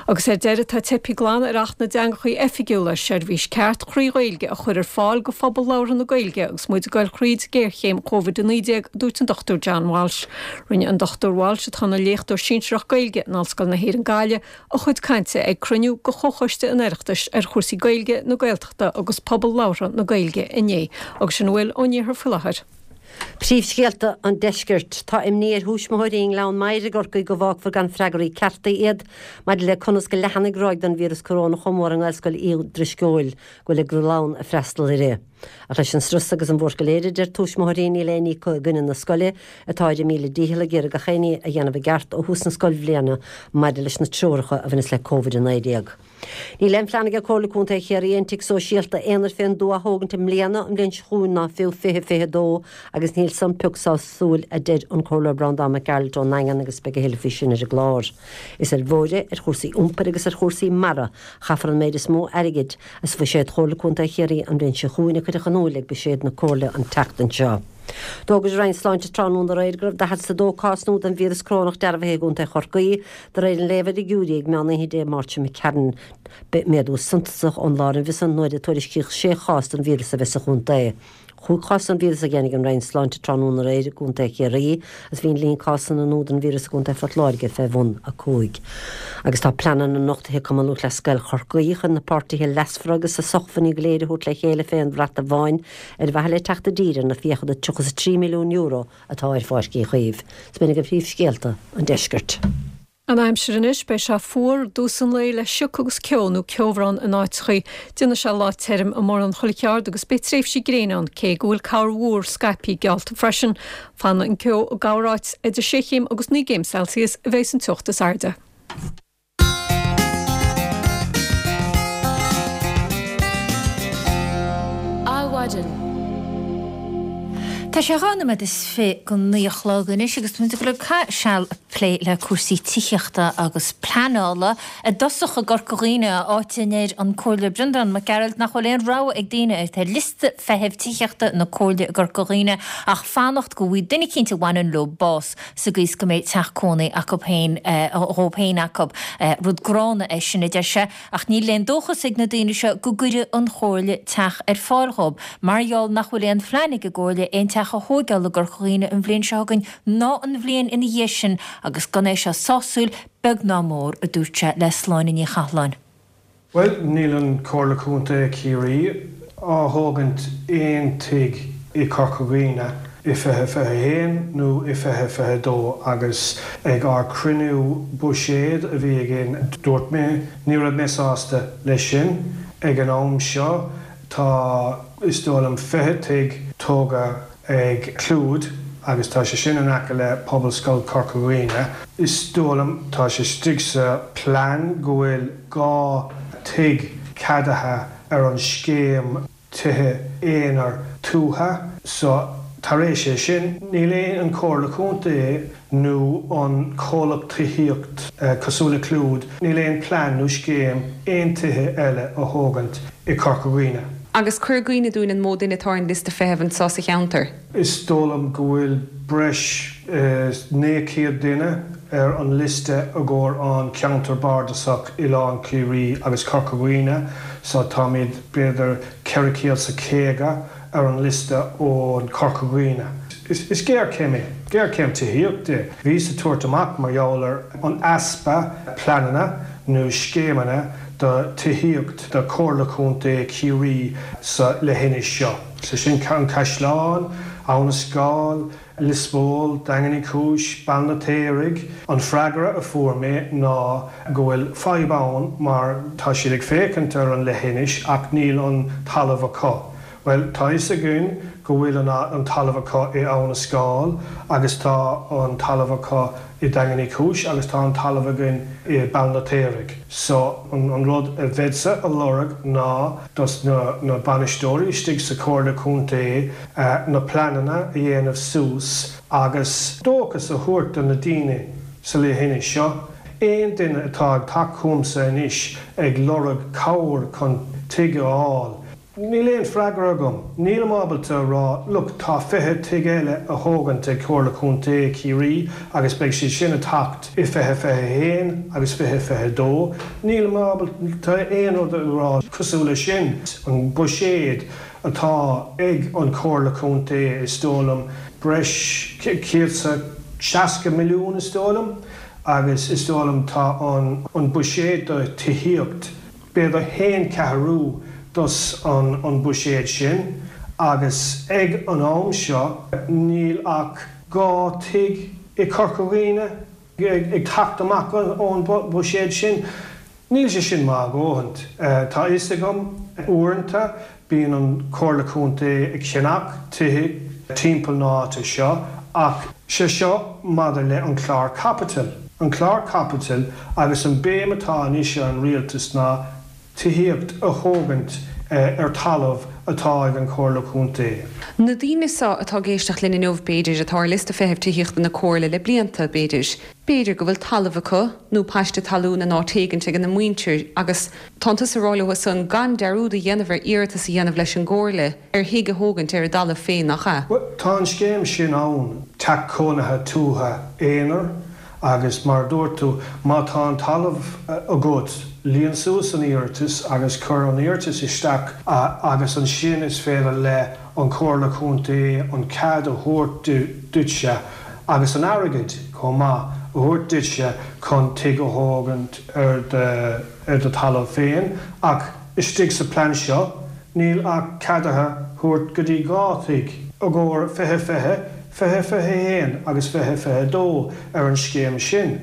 Agus ar deireadh, tá teipthe glan ar Acht na dTeangachaí Oifigiúla seirbhís ceart thrí Ghaeilge a chur ar fáil go phobal labhartha na Gaeilge agus muid ag goil thríd géarchéim Covid-19, a dúirt an Dr John Walsh. Rinne an Dr Walsh, atá ina léachtóir sinsearach Gaeilge in Ollscoil na hÉireann Gaillimh, a chuid cainte ag cruinniú de Chomhchoiste an Oireachtais ar chúrsaí Gaeilge, na Gaeltachta agus pobal labhartha na Gaeilge inné. Agus sin a bhfuil ón iarthar faoi láthair. Príomhscéalta an Deiscirt. Tá imní ar thuismitheoirí i nGleann Maghair i gCorcaigh go bhfágfar gan freagraí cearta iad maidir le conas go leathanfaidh ráig den víreas corónach chomh mór i nGaelscoil Uí Drisceoil go bhfuil a gclann ag freastal uirthi. Ach leis an strus agus an bhuairt go léir, a deir tuismitheoirí, níl aon ní acu i gcoinne na scoile, atá ar a míle dícheall ag iarraidh gach aon ní a dhéanamh i gceart ó thús na scoilbhliana maidir leis na treoracha a bhaineas le Covid-19. Níl aon phlean ag Comhairle Contae Chiarraí aon tigh sóisialta aonair fén dtuath a thógaint i mbliana, an bhliain seo chugainn ná fiú 2022 agus níl san pioc sásúil, a deir an Comhairleoir Breandán Mac Gearailt ón nDaingean agus beidh a thuilleadh faoi sin ar an gclár. Is ar bhóithre, ar chúrsaí iompair agus ar chúrsaí mara a chaithfear an méid is mó airgid As bhuiséad Chomhairle Contae Chiarraí an bhliain seo chugainn a cuireadh in iúl ag buiséad na Comhairle an tseachtain seo. D'fhógair an Roinn Sláinte tráthnóna aréir go raibh 42 cás nua den víreas corónach dearbhaithe i gContae Chorcaí, de réir an léamha ar fhigiúirí ag meán oíche Dé Máirt seo imigh tharainn. Méadú suntasach ón lá roimhe san nuair a tuairiscíodh 6 chás den víreas a bheith sa chontae. Chúig chás den víreas a dheimhnigh an Roinn Sláinte tráthnóna aréir i gContae Chiarraí agus bhí an líon cásanna nua den víreas i gContae Phort Láirge fé bhun 5. Agus tá pleananna nochtaithe ag Cumann Lúthchleas Gael Chorcaí chun na páirtithe leasmhara agus a sócmhainní go léir a thabhairt le chéile fé aon bhrat amháin ar mhaithe le teacht i dtír ar na fiacha de €33 milliún atá ar Pháirc Uí Chaoimh. Is b'in agaibh príomhscéalta an deiscirt. An aimsir anois, beidh sé fuar i dtús an lae le sioc agus ceo nó ceobhrán in áiteachaí. Déanfaidh sé lá tirim i mórán chuile cheard agus beidh tréimhsí gréine ann, cé go bhfuil corrmhúr scaipthe geallta freisin. Fanfaidh an ceo i gcorráit, idir sé chéim agus 9 gcéim Celsius a bheidh an teocht is airde. Adhmhaidin. Tá sé 22 nóiméad go 9 a chlog anois agus táimid ag dul ag caitheamh seal ag plé le cúrsaí tithíochta agus pleanála. I dtosach i gCorca Dhuibhne, áit a ndeir an Comhairleoir Breandán Mac Gearailt nach bhfuil aon rogha ag daoine atá ar liosta feithimh tithíochta na Comhairle i gCorca Dhuibhne ach fanacht go bhfaighidh duine eicínt a bhaineann leo bás sa gcaoi is go mbeidh teach cónaí acu féin dhóibh féin acu. Rud gránna é sin, a deir sé. Ach níl aon dóchas ag na daoine seo go gcuirfidh an Chomhairle teach ar fáil dhóibh, mar gheall nach bhfuil aon phlean ag an gComhairle aon teach a thóigeáil i gCorca Dhuibhne an bhliain seo chugainn ná an bhliain ina dhiaidh sin agus gan é seo sásúil, beag ná mór, a dúirt sé le Sláine Ní Chathalláin. Bhuel, níl an Comhairle Contae Chiarraí á thógaint aon tigh i Corca Dhuibhne i 2021 nó i 2022 agus ag ár cruinniú buiséad a bhí againn dúirt mé ní raibh mé sásta leis sin. Ag an am seo tá is dóigh liom 20 tigh tógtha ag Clúid agus tá sé sin in aice le Pobalscoil Corca Dhuibhne. Is dóigh liom tá sé istigh sa plean go bhfuil 2 tigh ceadaithe ar an scéim. tithe aonair tuaithe. So, tar éis é sin, níl aon an Comhairle Contae nó an comhlacht tithíocht cosúil le Clúid, níl aon plean nó scéim aon tithe eile a thógaint i Corca Dhuibhne. Agus cuir i gcuimhne dúinn an mó duine atá ar an liosta feithimh anseo sa cheantar. Is dóigh liom go bhfuil breis is 900 duine ar an liosta i gcomhair an ceantar bardasach Oileán Ciarraí agus Corca Dhuibhne so táimid b'fhéidir 450 ar an liosta ón Corca Dhuibhne. Is géarchéim é, géarchéim tithíochta é. Bhíos ag tabhairt amach mar gheall ar an easpa pleananna nó scéimeanna do tithíocht do Chomhairle Contae Chiarraí sa leithinis seo. So sin An Caisleán, Abha na Scáil, Lios Póil, Daingean Uí Chúis, Béal an Fheirtéaraigh. An freagra a fuair mé ná go bhfuil fadhb ann mar tá siad ag féachaint ar an leithinis ach níl an talamh acu. Bhuel, tá fhios againn go bhfuil an talamh acu i Abha na Scáil agus tá an talamh acu i Daingean Uí Chúis agus tá an talamh againn i Béal an Fheirtéaraigh. So, an rud a bheadsa a lorg ná dos na bainisteoirí istigh sa Chomhairle Contae na pleananna a dhéanamh suas agus dóchas a thabhairt do na daoine sa leithinis seo. Aon duine atá ag teacht chugamsa anois ag lorg cabhair chun tigh a fháil, Níl aon freagra agam. Nílim ábalta a rá, look, tá 20 tigh eile a thógaint ag Comhairle Contae Chiarraí agus beidh siad sin ag teacht i 2021 agus 2022. Nílim ábalta aon rud a rá cosúil le sin. An buiséad atá ag an Chomhairle Contae is dóigh liom breis 160 milliún is dóigh liom agus is dóigh liom tá an buiséad do tithíocht b'fhéidir haon cheathrú dos an buiséad sin agus ag an am seo níl ach 2 tigh i Corca Dhuibhne ag teacht amach ón buiséad sin. Níl sé sin maith a dhóthaint. Tá fhios agam uaireanta Bíonn an Chomhairle Contae ag ceannach tithe timpeall na háite seo ach sé seo maidir le an clár caipitil. An clár caipitil agus an béim atá anois ar an Rialtas ná tithíocht a thógaint ar talamh atá ag an Chomhairle Contae. Na daoine seo atá ag éisteacht linn inniu, b'fhéidir, atá ar liosta feithimh tithíochta na Comhairle le blianta, b'fhéidir. B'fhéidir go bhfuil talamh acu nó paiste talún in áit éigint ag a muintir agus Tánn tusa ag rá leo san gan dearúd a dhéanamh ar iarratas a dhéanamh leis an gComhairle ar thigh a thógaint ar a dtalamh féin, nach ea? Bhuel, tá an scéim sin ann, teach cónaithe tuaithe aonair, agus mar a dúirt tú, má tá an talamh agat, líon suas an iarratas agus cuir an iarratas isteach agus ansin is féidir le an Chomhairle Contae an cead a thabhairt duitse agus an airgead chomh maith a thabhairt duitse chun tigh a thógaint ar do ar do talamh féin, ach istigh sa plean seo níl ach ceadaithe thabhairt go dtí 2 thigh i gcomhair 2020, 2021 agus 2022 ar an scéim sin.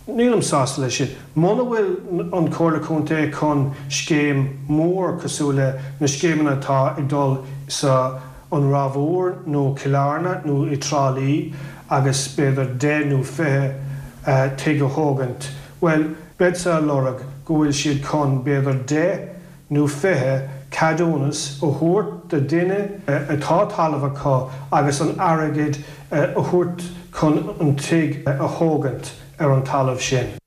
Nílim sásta leis sin. Muna bhfuil an Chomhairle Contae chun scéim mór cosúil le na scéimeanna atá ag dul sa an Ráth Mhór nó Cill Airne nó i Trá Lí agus b'fhéidir 10 nó 20 tigh a thógaint, bhuel, Beadsa a lorg go bhfuil siad chun b'fhéidir 10 nó 20 ceadúnas a thabhairt do duine atá talamh acu agus an airgead a thabhairt chun an tigh a thógaint ar an talamh sin.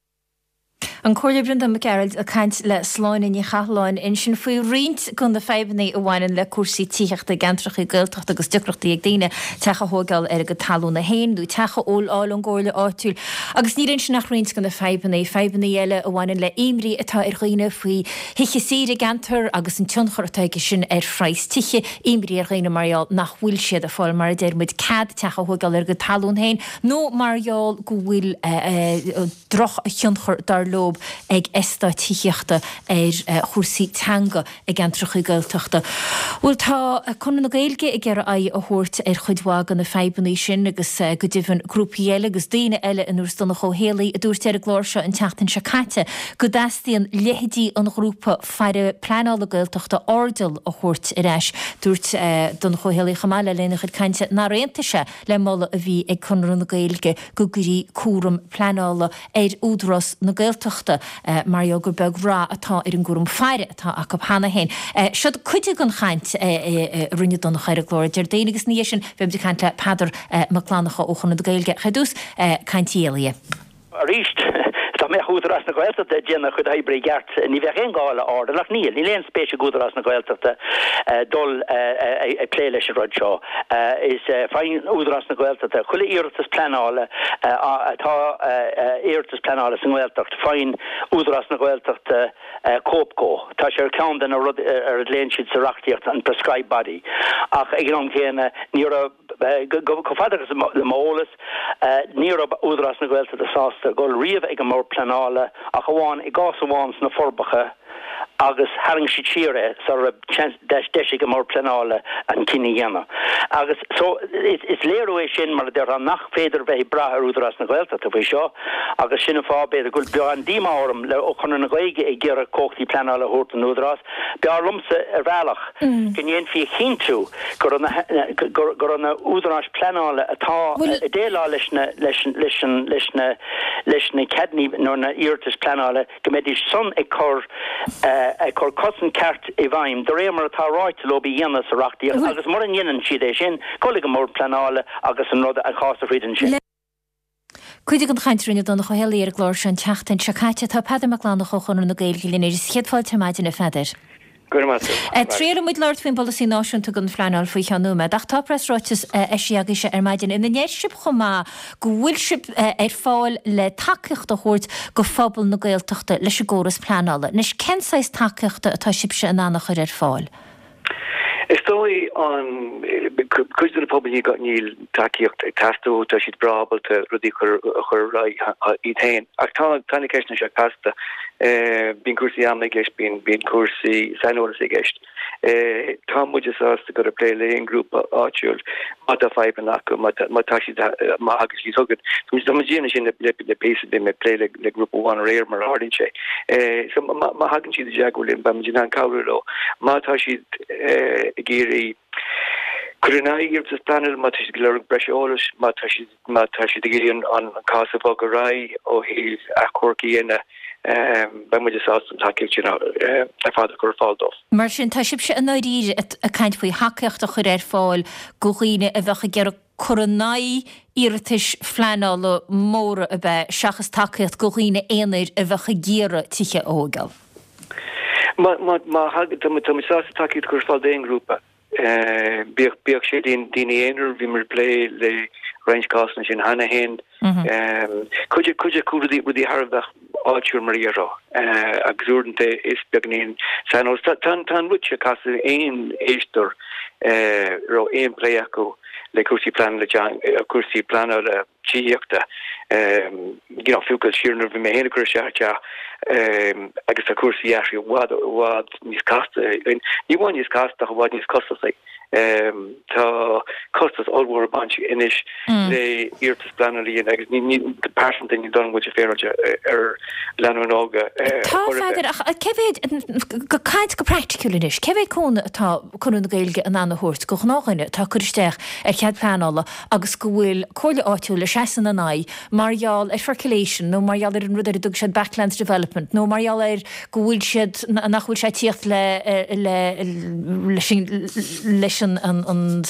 An Comhairleoir Breandán Mac Gearailt ag caint le Sláine Ní Chathalláin ansin faoi roinnt de na fadhbanna a bhaineann le cúrsaí tithíochta i gceantracha Gaeltachta agus deacrachtaí ag daoine teach a thóigeáil ar a gcuid talúna féin nó teach a fháil ón gcomhairle áitiúil. Agus níl ansin ach roinnt de na fadhbanna, fadhbanna eile a bhaineann le imní atá ar dhaoine faoi thithe saoire i gceantar agus an tionchar atá aige sin ar phraghas tithe, imní ar dhaoine mar gheall nach bhfuil siad ag fáil, mar a deir muid, cead teach a thóigeáil ar a gcuid talún féin nó mar gheall go bhfuil drochthionchar, dar leob, ag eastáit tithíochta ar chúrsaí teanga. i gceantracha Gaeltachta. Bhuel, tá Conradh na Gaeilge ag iarraidh aghaidh a thabhairt ar chuid mhaith de na fadhbanna sin agus go deimhin grúpaí eile agus daoine eile ar nós Donncha Ó Héalaí a dúirt ar an gclár seo an tseachtain seo caite go dteastaíonn leithéidí an ghrúpa faire pleanála Gaeltachta Airdeall a thabhairt ar ais. Dúirt Donncha Ó Héalaí chomh maith le linn a chuid cainte nár aontaigh sé le moladh a bhí ag Conradh na Gaeilge go gcuirí cúram pleanála ar Údarás na Gaeltachta. Gaeltachta mar gheall gur beag rath atá ar an gcúram faire atá acu cheana féin. Siod cuid den chaint a rinne Donncha ar an gclár Déardaoin agus ina dhiaidh sin beimid ag caint le Peadar Mac Fhlannchadha ó Chonradh na Gaeilge. Ar dtús, caint Uí Éalaithe. Arís, dá mbeadh Údarás na Gaeltachta ag déanamh a chuid oibre i gceart, ní bheadh aon gá le airdeall, ach níl. Níl aon spéis ag Údarás na Gaeltachta dul ag plé leis an rud seo. Is faigheann Údarás na Gaeltachta chuile iarratas pleanála atá iarratas pleanála sa nGaeltacht, faigheann Údarás na Gaeltachta cóip dhó. Tá sé ar cheann de na rudaí ar a nglaonn siad sa reachtaíocht an prescribed body. Ach ag an am céanna, ní raibh. Chomh fada agus le m'eolas, ní raibh Údarás na Gaeltachta sásta dul riamh ag an mBord Pleanála ach amháin i gcás amháin sna Forbacha agus tharraing siad siar é sara raibh deis ag an mBord Pleanála an cinneadh a dhéanamh. Agus so is léiriú é sin, mar a déarfá, nach féidir bheith ag brath ar Údarás na Gaeltachta faoi seo agus sin an fáth, b'fhéidir, go bhfuil beagán díomá orm le ó Chonradh na Gaeilge ag iarraidh cumhachtaí pleanála a thabhairt don Údarás. B'fhearr liomsa, ar bhealach, go ndéanfaí a chinntiú go raibh na go raibh na údaráis pleanála atá ag déileáil leis na leis leis an leis na leis na ceadanna nó na iarratais pleanála go mbeidís san ag cur ag cur cosaint ceart i bhfeidhm de réir mar atá ráite leo a dhéanamh sa reachtaíocht agus mura ndéanann siad é sin, dul ag an mBord Pleanála agus an rud an cás a throid ansin. Cuid den chaint a rinne Donncha Ó hÉalaithe ar an gclár seo an tseachtain seo caite. Tá Peadar Mac Fhlannchadha ó Chonradh na Gaeilge linn arís. Céad fáilte ar maidin, a Pheadair. Go raibh maith agat. Triailfidh muid labhairt faoin bpolasaí náisiúnta don phleanáil faoi cheann nóiméad, ach tá preasráiteas eisithe agaibhse ar maidin ina ndeir sibh chomh maith go bhfuil sibh ar fáil le tacaíocht a thabhairt go phobal na Gaeltachta leis an gcóras pleanála. Anois, cén saghas tacaíochta atá sibhse in ann a chur ar fáil? Is dóigh an cuid de na pobail níl tacaíocht ag teastáil uathu, tá siad breá ábalta rudaí a chur a chur ar aghaidh iad féin. Ach tá tá na ceisteanna seo casta. Bíonn cúrsaí ama i gceist, bíonn bíonn cúrsaí saineolais i gceist. Tá muide sásta dul ag plé le aon ghrúpa áitiúil má tá fadhbanna acu, má tá má tá siad má thagann siad chugainn. Tá muid ag déanamh sin le le píosa, bhí mé ag plé le le grúpa amháin aréir mar a tharlaíonn sé. So má má thagann siad i dteagmháil linn beidh muid in ann cabhrú leo. Má tá siad ag iarraidh cur in aghaidh iarratas pleanála, má tá siad ag lorg breis eolais, má tá siad má tá siad ag iarraidh an cás a bhogadh ar aghaidh ó thaobh achomharc a dhéanamh, beidh muid sásta an tacaíocht sin ar fad a chur ar fáil dóibh. Mar sin, tá sibhse i ndáiríre ag caint faoi thacaíocht a chur ar fáil go dhaoine a bheadh ag iarraidh cur in aghaidh iarratais phleanála móra ab ea, seachas tacaíocht go dhaoine aonair a bheadh ag iarraidh tithe a thóigeáil? Má, má, má thagann, tá muid, tá muid sásta tacaíocht a chur ar fáil d'aon ghrúpa, bíodh, bíodh sé daoine, daoine aonair, bhíomar ag plé le roinnt cásanna sin cheana féin. Cuid, cuid acu rudaí, rudaí thar a bheith áitiúil mar a déarfá, agus uaireanta is beagáinín saineolas. Tá, tá, tá an rud seo casta aon éisteoir a raibh aon plé acu le cúrsaí pleanála teanga, cúrsaí pleanála tithíochta, you know, fiú dul siar nuair a bhí mé féin ag cur isteach ar teach, agus tá cúrsaí athraithe i bhfad, i bhfad níos casta, ní amháin níos casta ach i bhfad níos costasaí. Tá costas ollmhór ag baint anois le iarratas pleanála a dhéanamh agus ní, go pearsanta, ní dóigh liom go bhfuil sé féaráilte ar lánúin óga ar Tá, chor ar bith. A Pheadair, ach cé mhéad, ag caint go praiticiúil anois, cé mhéad cúnamh atá Conradh na Gaeilge in ann a thabhairt go ghnáthdhuine atá ag cur isteach ar chead pleanála agus go bhfuil comhairle áitiúil ag seasamh ina n-aghaidh mar gheall ar percolation nó mar gheall ar an rud ar a dtug siad backlands development nó mar gheall ar go bhfuil siad, nach bhfuil sé ag tíocht le, le, leis an, leis an, an, an,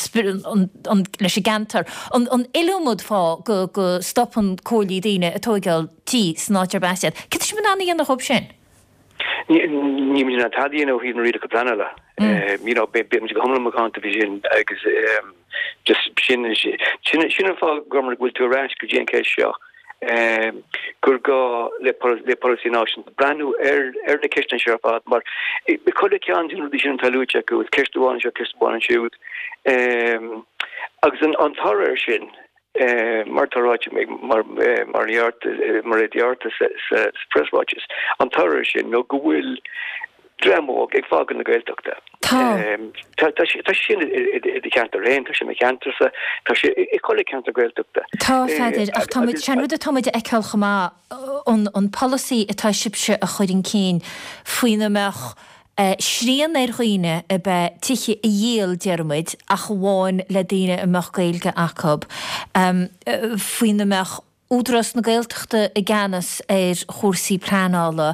leis an gceantar. An, an iliomad fáth go, go stopann comhairlí daoine ag tóigeáil tí san áit arb as iad. Céard tá sibh in ann a dhéanamh dhóibh sin? Ní, níl muid in ann tada a dhéanamh ó thaobh na rialacha pleanála. You know, beidh muid go hiomlán macánta faoi sin agus just sin, sin, sin an fáth go bhfuil tú ar ais go dtí an cheist seo. gur gá le polasaí náisiúnta breathnú ar na ceisteanna seo ar fad mar chuile cheann de na rudaí sin atá luaite acu, is ceist amháin anseo, ceist amháin ansiúd. Agus an toradh air sin, mar atá ráite ag Mairéad Uí Fhátharta sa phreasráiteas, an toradh air sin nó go bhfuil dream óg ag fágáil na Gaeltachta. Tá. Tá sé sin i do cheantar féin, tá sé i mo cheantarsa, tá sé i chuile cheantar Gaeltachta. Tá, a Pheadair, ach tá muid, sé an rud atá muid a fheiceáil chomh maith, an an polasaí atá sibhse a chur chun cinn faoina mbeadh srian ar dhaoine ab ea tithe a dhíol, déarfaidh muid, ach amháin le daoine a mbeadh Gaeilge acu, faoina mbeadh. Údarás na Gaeltachta i gceannas ar chúrsaí pleanála,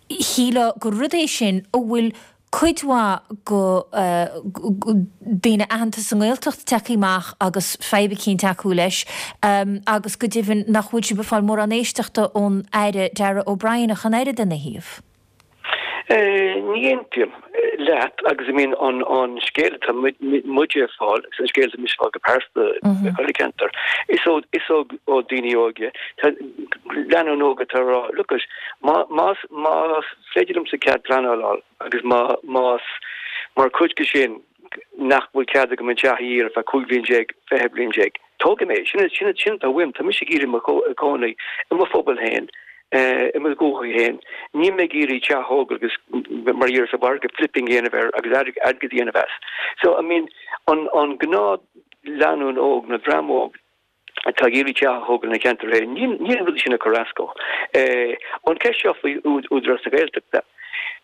shílfeá gur rud é sin a bhfuil cuid mhaith go daoine aitheanta sa nGaeltacht tagtha amach agus fadhb eicínt acu leis agus go deimhin nach bhfuil sibh ag fáil mórán éisteachta ón Aire Darragh O'Brien ach an oiread ina thaobh. Ní aontaím leat agus I mean an scéal atá muide ag fáil agus an scéal atá mise ag fáil go pearsanta i chuile ceantar is ó is ó ó daoine óga tá lánúin óga atá ag rá look it má más más féidir liomsa cead pleanála a fháil agus má más mar chuid de sin nach bhfuil cead agam an teach a dhíol ar feadh 15 bhliain, 20 bliain déag. Tógfaidh mé é. Sin sin sin atá uaim. Tá mise ag iarraidh mo chónaí i mo phobal féin, i mo dhúiche féin. Níl mé ag iarraidh teach a thógáil agus mar a déarfá sa mhargadh flipping a dhéanamh air agus airgead a dhéanamh as. So, I mean, an an gnáth lánúin óg nó dream óg, atá ag iarraidh teach a thógáil ina cheantar féin, níl níl an rud sin ag cur as dó. An ceist seo faoi Údarás na Gaeltachta,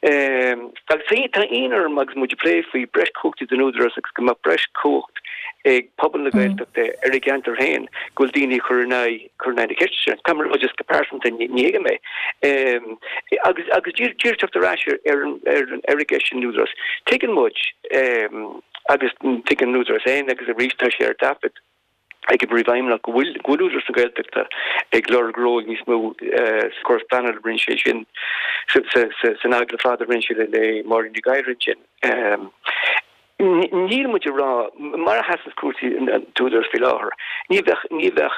agus tá ionadh orm agus muid ag plé faoi breis cumhachtaí don Údarás agus go mbeadh breis cumhacht ag pobal na Gaeltachta ar a gceantar féin, go bhfuil daoine ag cur in aghaidh cur in aghaidh na ceiste sin. Caithfidh mé a rá just go pearsanta ní thuigim é. Agus agus díreach teacht ar ais ar an ar an ar an gceist sin Údarás. Tuigeann muid agus tuigeann an Údarás féin agus arís tá sé ar taifead, ag an bPríomhfheidhmeannach go bhfuil go bhfuil Údarás na Gaeltachta ag lorg ról níos mó sa chóras pleanála rinne sé sin san agallamh fada a rinne sé le Máirín Ní Ghadhra ansin. Níl muid ag rá, mar a sheasann cúrsaí an t-údarás faoi láthair, ní bheadh ní bheadh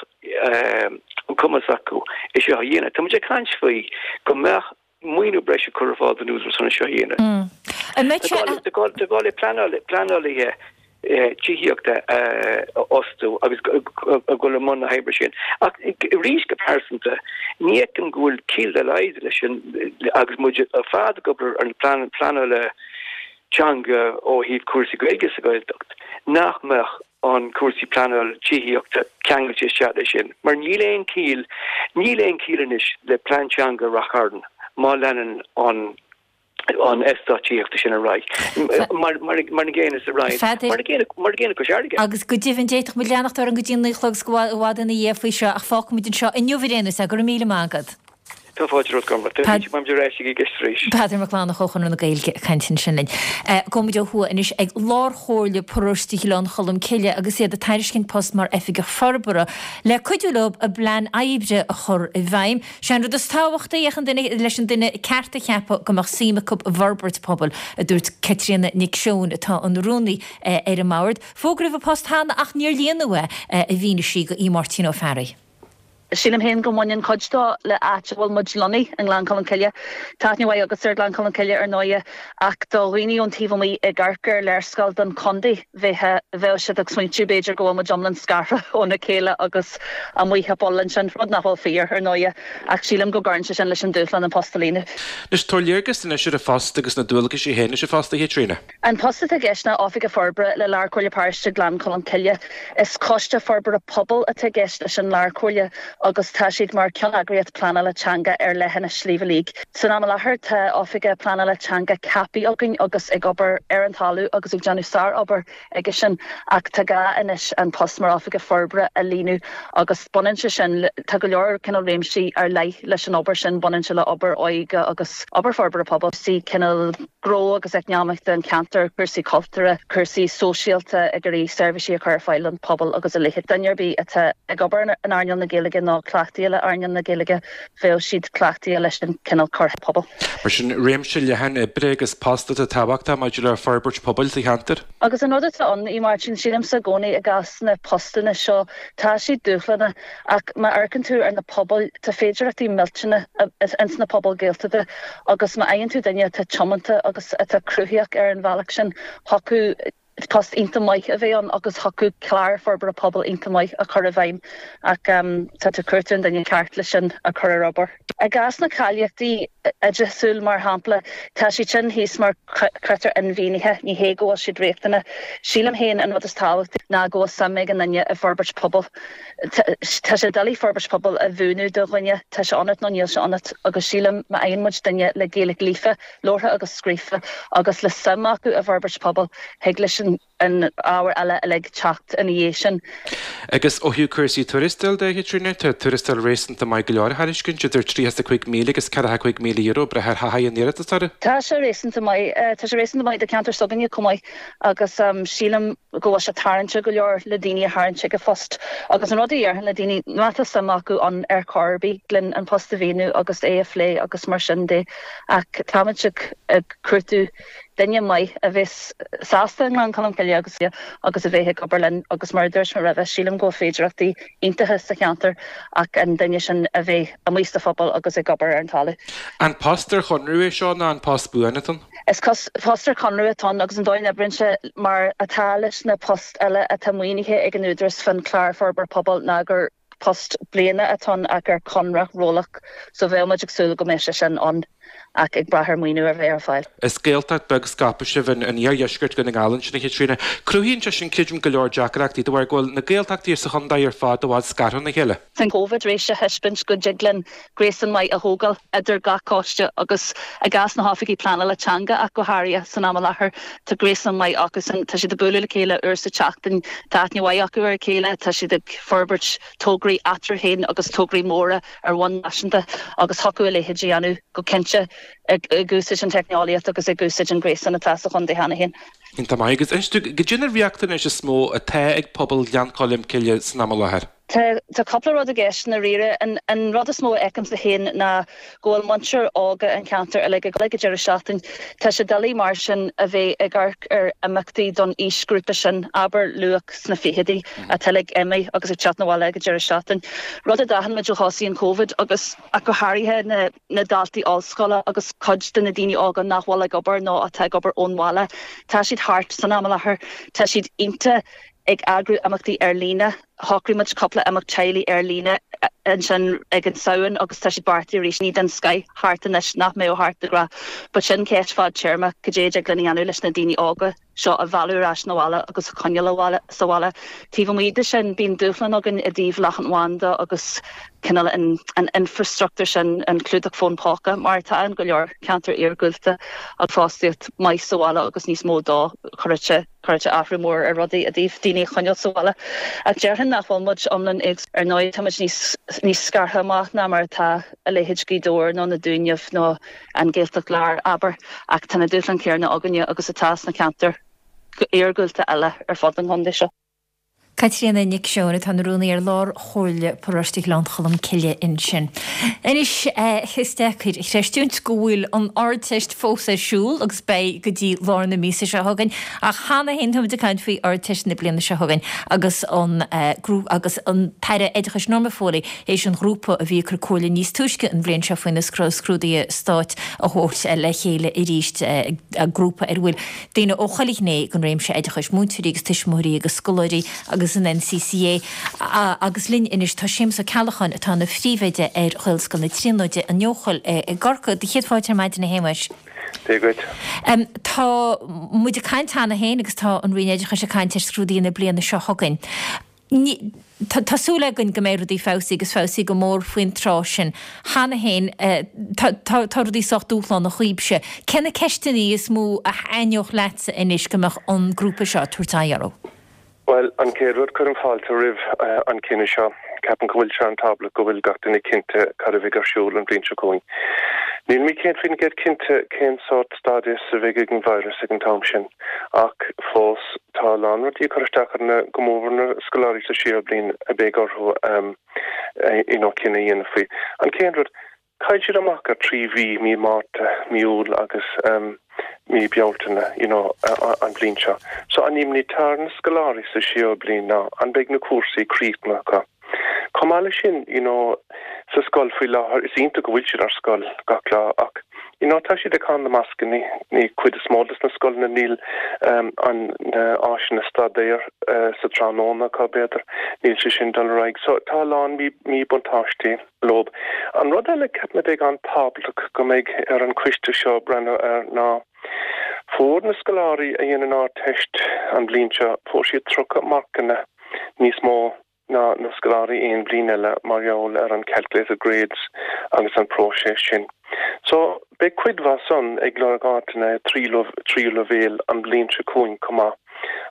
an cumas acu é seo a dhéanamh. Tá muid ag caint faoi go mbeadh maoiniú breise curtha ar fáil don Údarás chun é seo a dhéanamh. An mbeidh sé. Tá gá le pleanálaithe tithíochta a fhostú agus a dhul i mbun na hoibre sin. Ach arís go pearsanta, ní fheicim go bhfuil ciall dá laghad leis sin agus muid ar fad ag obair ar an pleanáil teanga ó thaobh cúrsaí Gaeilge sa Ghaeltacht, nach mbeadh an cúrsaí pleanáil tithíochta ceangailte isteach leis sin, mar níl aon chiall, níl aon chiall anois le plean teanga Rath Chairn má leanann an an eastát tithíochta sin ar aghaidh. Mar mar mar an gcéanna sa Rinn, mar an gcéanna mar an gcéanna Cois Fharraige. Agus go deimhin d'fhéadfadh muid leanacht orainn go dtí an naoi a chlog agus go i bhfad ina dhiaidh faoi seo ach fágfaimid anseo inniu ar aon nós é. Go raibh míle maith agat. Tá fáilte romhat Gormlaith. Tá muid ar ais ag an gceist arís. Peadar Mac Fhlannchadha ó Chonradh na Gaeilge ag caint ansin linn. Gabhfaimid ó thuaidh anois ag Lárchomhairle Paróiste Ghleann Cholm Cille agus iad ag tairiscint post mar Oifigeach Forbartha le cuidiú leo a bplean oibre a chur i bhfeidhm. Sé an rud is tábhachtaí ach an duine leis an duine ceart a cheapadh go mbeadh suim acu i bhforbairt pobail, a dúirt Caitríona Nic Seoin atá ina rúnaí ar an mbord. Fógraíodh an post cheana ach níor líonadh é, a mhínigh sí do Aodh Máirtín Ó Fearraigh. Sílim féin go mbaineann cuid dó le áit a bhfuil muid lonnaithe, i nGleann Cholm Cille. Tá aithne mhaith agatsa ar Ghleann Cholm Cille ar ndóighe, ach do dhaoine ón taobh amuigh ag amharc ar léarscáil den chontae, bheadh bheadh siad ag smaointiú b'fhéidir go bhfuil muid iomlán scartha óna chéile agus amuigh i bpoll ansin, rud nach bhfuil fíor, ar ndóighe, ach sílim go gcuireann sé sin leis an dúshlán an post a líonadh. Anois, tabhair léargas anois ar an phost agus na dualgais a théann leis an phost, a Chaitríona. An post atá i gceist ná Oifigeach Forbartha le Lárchomhairle Paróiste Ghleann Cholm Cille. Is coiste forbartha pobail atá i gceist leis an Lárchomhairle agus tá siad mar cheanneagraíocht pleanála teanga ar leithinis Shliabh Liag. San am i láthair tá Oifigeach Pleanála Teanga ceaptha againn agus ag obair ar an talamh agus ag déanamh sár-obair aige sin ach tá gá anois an post mar Oifigeach Forbartha a líonadh agus baineann sé sin le, tá go leor cineál réimsí ar leith leis an obair sin, baineann sé le obair óige agus obair forbartha pobail, sí cineál. gnó agus eacnamaíochta an cheantair, cúrsaí cultúrtha, cúrsaí sóisialta, ag iarraidh seirbhísí a chur ar fáil don phobal agus a leithéid. Duine ar bith atá ag obair in earnáil na Gaeilge nó cleachtaithe le earnáil na Gaeilge, bheadh siad cleachtaithe leis an cineál cur pobail. Mar sin, réimse leathan oibre agus post atá tábhachtach maidir le forbairt pobail sa cheantar. Agus an rud atá ann, a Mháirtín, sílimse i gcónaí i gcás na postanna seo, tá siad dúshlánach Ach má amharcann tú ar na pobail, tá féidearthachtaí millteanna ins na pobail Gaeltachta agus má fhaigheann tú duine atá tiomanta agus atá cruthaitheach ar an bhealach sin, thiocfadh post iontach maith a bheith ann agus thiocfadh clár forbartha pobail iontach maith a chur i bhfeidhm ach tá tú ag cuartú an duine ceart le sin a chur ar obair. I gcás na cáilíochtaí oideachasúil, mar shampla, tá siad sin thíos mar chritéir inmhianaithe, ní hé go bhfuil siad riachtanach. Sílim féin an rud is tábhachtaí ná go bhfuil suim ag an duine i bhforbairt pobail. Tá sé doiligh forbairt pobail a mhúineadh do dhuine, tá sé ionat nó níl sé ionat agus sílim má fhaigheann muid duine le Gaeilge líofa, labhartha agus scríofa agus le suim acu i bhforbairt pobail, thig leis an. an ábhar eile uilig teacht ina dhiaidh sin. Agus ó thaobh cúrsaí tuarastail de, a Chaitríona, tá tuarastal réasúnta maith go leor á thairiscint, idir €35,000 agus €45,000, ag brath ar thaithí an iarratasóra. Tá sé réasúnta maith. Tá sé réasúnta maith do cheantar s'againne chomh maith agus sílim go bhfuil sé tarraingteach go leor le daoine a tharraingt chuig an phost. Agus an rud a dhéarfainn le daoine, má tá suim acu ann ar chor ar bith, linn an post a mhíniú agus é a phlé agus mar sin de. Ach táimid ag cuartú duine maith a bheas sásta i nGleann Cholm Cille agus agus a bheith ag obair linn agus mar a dúirt mé roimhe, sílim go bhfuil féidireachtaí iontacha sa cheantar ach an duine sin a bheith amuigh sa phobal agus ag obair ar an talamh. An post ar chonradh é seo nó an post buan atá ann? Is post ar chonradh atá ann agus an dóigh a n-oibríonn sé mar atá leis na poist eile atá maoinithe ag an Údarás fán Chlár Forbartha Pobail ná gur post bliana atá ann ach ar chonradh rollach so bheadh muid ag súil go mbeadh sé sin ann ach ag brath ar maoiniú a bheith ar fáil. Is Gaeltacht beag scaipthe sibh in iardheisceart Dhún na nGall ansin a Chaitríona. Cruthaíonn sé sin creidim go leor deacrachtaí de bharr go bhfuil na Gaeltachtaí sa chontae ar fad i bhfad scartha óna chéile. Tá an Covid tar éis a thaispeáint go dtig linn gréasán maith a thógáil idir gach coiste agus i gcás na hoifigí pleanála teanga ach go háirithe san am i láthair tá gréasán maith acusan, tá siad ag bualadh le chéile uair sa tseachtain, tá aithne mhaith acu ar a chéile, tá siad ag. forbairt tograí eatarthu féin agus tograí móra ar bhonn náisiúnta agus thiocfadh a leithéid a dhéanamh go cinnte ag úsáid an teicneolaíocht agus ag úsáid an gréasán atá sa chontae cheana féin. Iontach maith. Agus inis dúinn, goidé na riachtanais is mó atá ag pobal Ghleann Cholm Cille san am i láthair? Tá tá cúpla rud i gceist i ndáiríre. An rud is mó a fheicimse féin ná go bhfuil muintir óga an cheantair uilig ag ag an deireadh seachtaine. Tá sé doiligh mar sin a bheith ag amharc ar imeachtaí don aoisghrúpa sin, abair luach sna fichidí, atá uilig imithe agus ag teacht 'na bhaile ag an deireadh seachtaine. Rud a d'aithin muid ó thosaigh an Covid agus ach go háirithe na na daltaí ollscoile agus cuid de na daoine óga nach bhfuil ag obair nó atá ag obair ón bhaile, tá siad thart san am i láthair, tá siad iontach ag eagrú imeachtaí ar líne. Shocraigh muid cúpla imeacht teaghlaigh ar líne ansin ag an Samhain agus tá siad beartaithe arís. Daoine den scoith thart anois nach mbeadh thart de ghnáth. But sin ceist fadtéarma, cad é a dtig linn a dhéanamh leis na daoine óga seo a mhealladh ar ais 'na bhaile agus a choinneáil sa bhaile. Taobh amuigh de sin, bíonn dúshlán againn i dtaobh leathanbhanda agus cineál an infrastruchtúr sin, an clúdach fón póca, mar atá in go leor ceantar iargúlta agus fostaíocht maith sa bhaile agus níos mó dó, chuirfeadh sé. Chuirfeadh sé athrú mór ar rudaí i dtaobh daoine a choinneáil sa bhaile. Ach déarfainn nach bhfuil muid iomlán éagsúil. Ar ndóigh, tá muid níos níos scartha amach ná mar atá a leithéid Gaoth Dobhair nó na Dúnaibh nó an Ghaeltacht Láir, abair, ach tá na dúshláin chéanna againne agus atá sna ceantair iargúlta eile ar fud an chontae seo. Caitríona Nic Seoin atá ina rúnaí ar Lár Chomhairle Paróiste Ghleann Cholm Cille ansin. Anois, is deacair a chreistiúint go bhfuil an Ardteist fós ar siúl agus beidh go dtí lár na míosa seo chugainn, ach cheana féin táimid ag caint faoi Ardteist na bliana seo chugainn agus an agus an tAire Oideachais Norma Foley théis an ghrúpa a bhí ag cur comhairle níos túisce an bhliain seo faoi na scrúduithe stáit a thabhairt le chéile arís, grúpa ar a bhfuil daoine ó chuile ghné den réimse oideachais, múinteoirí agus tuismitheoirí agus scoláirí agus an NCCA. Agus linn anois tá Séamus Ó Ceallacháin atá ina phríomhoide ar Ghaelscoil na Tríonóide, an Eochaill i gCorcaigh. Do chéad fáilte ar maidin a Shéamuis. Dia dhuit. Tá muid ag caint cheana féin agus tá an Roinn Oideachais ag caint ar scrúduithe na bliana seo chugainn. Tá súil againn go mbeidh rudaí feabhsaithe agus feabhsaithe go mór faoin tráth sin. Cheana féin, tá rudaí sách dúshlánach dhaoibhse. Cé na ceisteanna is mó a thaitneodh leatsa anois go mbeadh an grúpa seo ag tabhairt aghaidh orthu? Bhuel, an chéad rud, cuirim fáilte roimh an cinneadh seo. Ceapaim go bhfuil sé an-tábhachtach go bhfuil gach duine cinnte cad a bheidh ar siúl an bhliain seo chugainn. Nílimid 100% cinnte cén sórt stádas a bheidh ag an virus ag an t-am sin, ach fós, tá a lán rudaí ag cur isteach ar na, go mór mhór na scoláirí sa séú bliain a beidh orthu you know cinneadh a dhéanamh faoi. An chéad rud, chaill siad amach ar 3 mhí, mí Márta, mí Iúil agus mí Bealtaine you know an bhliain seo. So an imní atá ar na scoláirí sa séú bliain ná an mbeidh na cúrsaí críochnaithe acu. Chomh maith leis sin, you know, sa scoil faoi láthair, is iontach go bhfuil siad ar scoil gach lá ach, you know, tá siad ag caitheamh na mascanna, ní cuid is mó de na scoileanna níl um, an na áiseanna staidéir uh, sa tráthnóna acu b'fhéidir, níl sé sin dul ar aghaidh. So tá a lán míbhuntáistí leo. An rud eile ceapaim a bheidh an-tábhachtach go mbeidh ar an choiste seo breathnú air ná fuair na scoláirí a dhein an Ardteist an bhliain seo, fuair siad 30 marcanna níos mó ná na scoláirí aon bhliain eile mar gheall ar an calculated grades agus an próiseas sin. So, beidh cuid mhaith san ag lorg áiteanna i tríú leibhéal an bhliain seo chugainn chomh maith.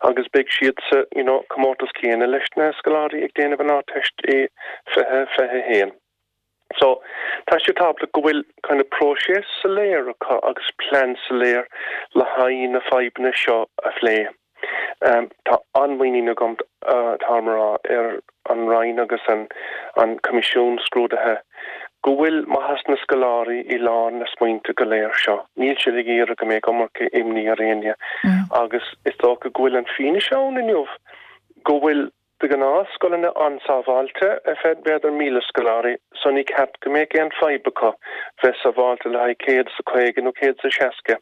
agus beidh siad sa, you know, comórtas céanna leis na scoláirí ag déanamh an Ardteist i 2021. So, tá sé tábhachtach go bhfuil kind of próiseas soiléir acu agus plean soiléir le haghaidh na fadhbanna seo a phlé. Tá an-mhuinín agam, táim a rá, ar an Roinn agus an an Coimisiún Scrúduithe go bhfuil maitheas na scoláirí i lár na smaointe go léir seo. Níl siad ag iarraidh go mbeadh iomarca imní ar éinne agus is dócha go bhfuil an fianaise ann inniu go bhfuil De ghnáth, scoileanna an-sábháilte ar feadh b'fhéidir 1,000 scoláirí, so ní ceart go mbeadh aon fadhb acu bheith sábháilte le haghaidh 150 nó 160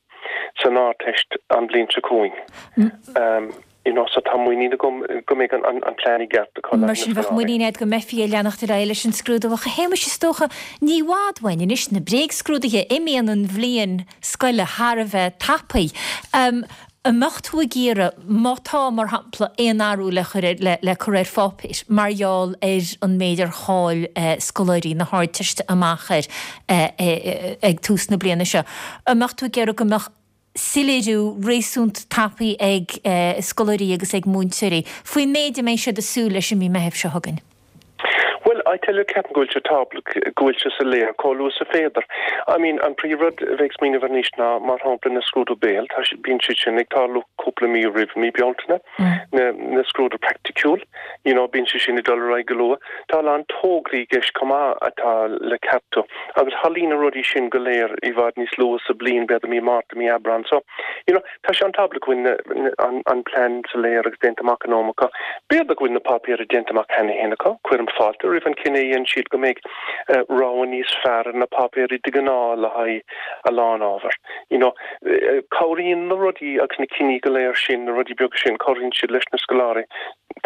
san Ardteist an bhliain seo chugainn. You know, so tá muinín agam go mbeidh an plean i gceart acu le haghaidh na scoláirí. Mar sin bheadh muinín agat go mbeifí ag leanacht ar aghaidh leis an scrúdú. Ach a Shéamais, is dócha, ní i bhfad uainn anois na bréagscrúduithe, imíonn an bhliain scoile thar a bheith tapaidh. An mbeadh tú ag iarraidh, má tá, mar shampla, aon athrú le cur ar, le cur ar pháipéar mar gheall ar an méid ar chaill scoláirí na hArdteiste amach air ag tús na bliana seo, an mbeadh tú ag iarraidh go mbeadh soiléiriú réasúnta tapaidh ag scoláirí agus ag múinteoirí faoin méid a mbeidh siad ag súil leis i mí Meithimh seo chugainn? Bhuel, I tell you, ceapaim go bhfuil sé tábhachtach go bhfuil sé soiléir chomh luath is a féidir. I mean, an príomh-rud a bheith ag smaoineamh anois ná, mar shampla, na scrúdú béil, tá siad, bíonn siad sin ag tarlú cúpla mí roimh mí Bealtaine, na, na scrúdú praiticiúil, you know, bíonn sé sin ag dul ar aghaidh go luath. Tá a lán tograí i gceist chomh maith atá le ceartú agus tharlaíonn na rudaí sin go léir i bhfad níos luath sa bliain, b'fhéidir mí Márta, mí Aibreán. So, you know, Tá sé an-tábhachtach go bhfuil an plean soiléir agus déanta amach in am acu. B'fhéidir go bhfuil na páipéirí déanta amach cheana féin acu. Cuirim fáilte roimh an cinneadh a dhein siad go mbeidh rogha níos fearr ar na páipéirí de ghnáth le haghaidh a lán ábhar. You know, cabhraíonn na rudaí agus na cinní go léir sin, na rudaí beaga sin, cabhraíonn siad leis na scoláirí.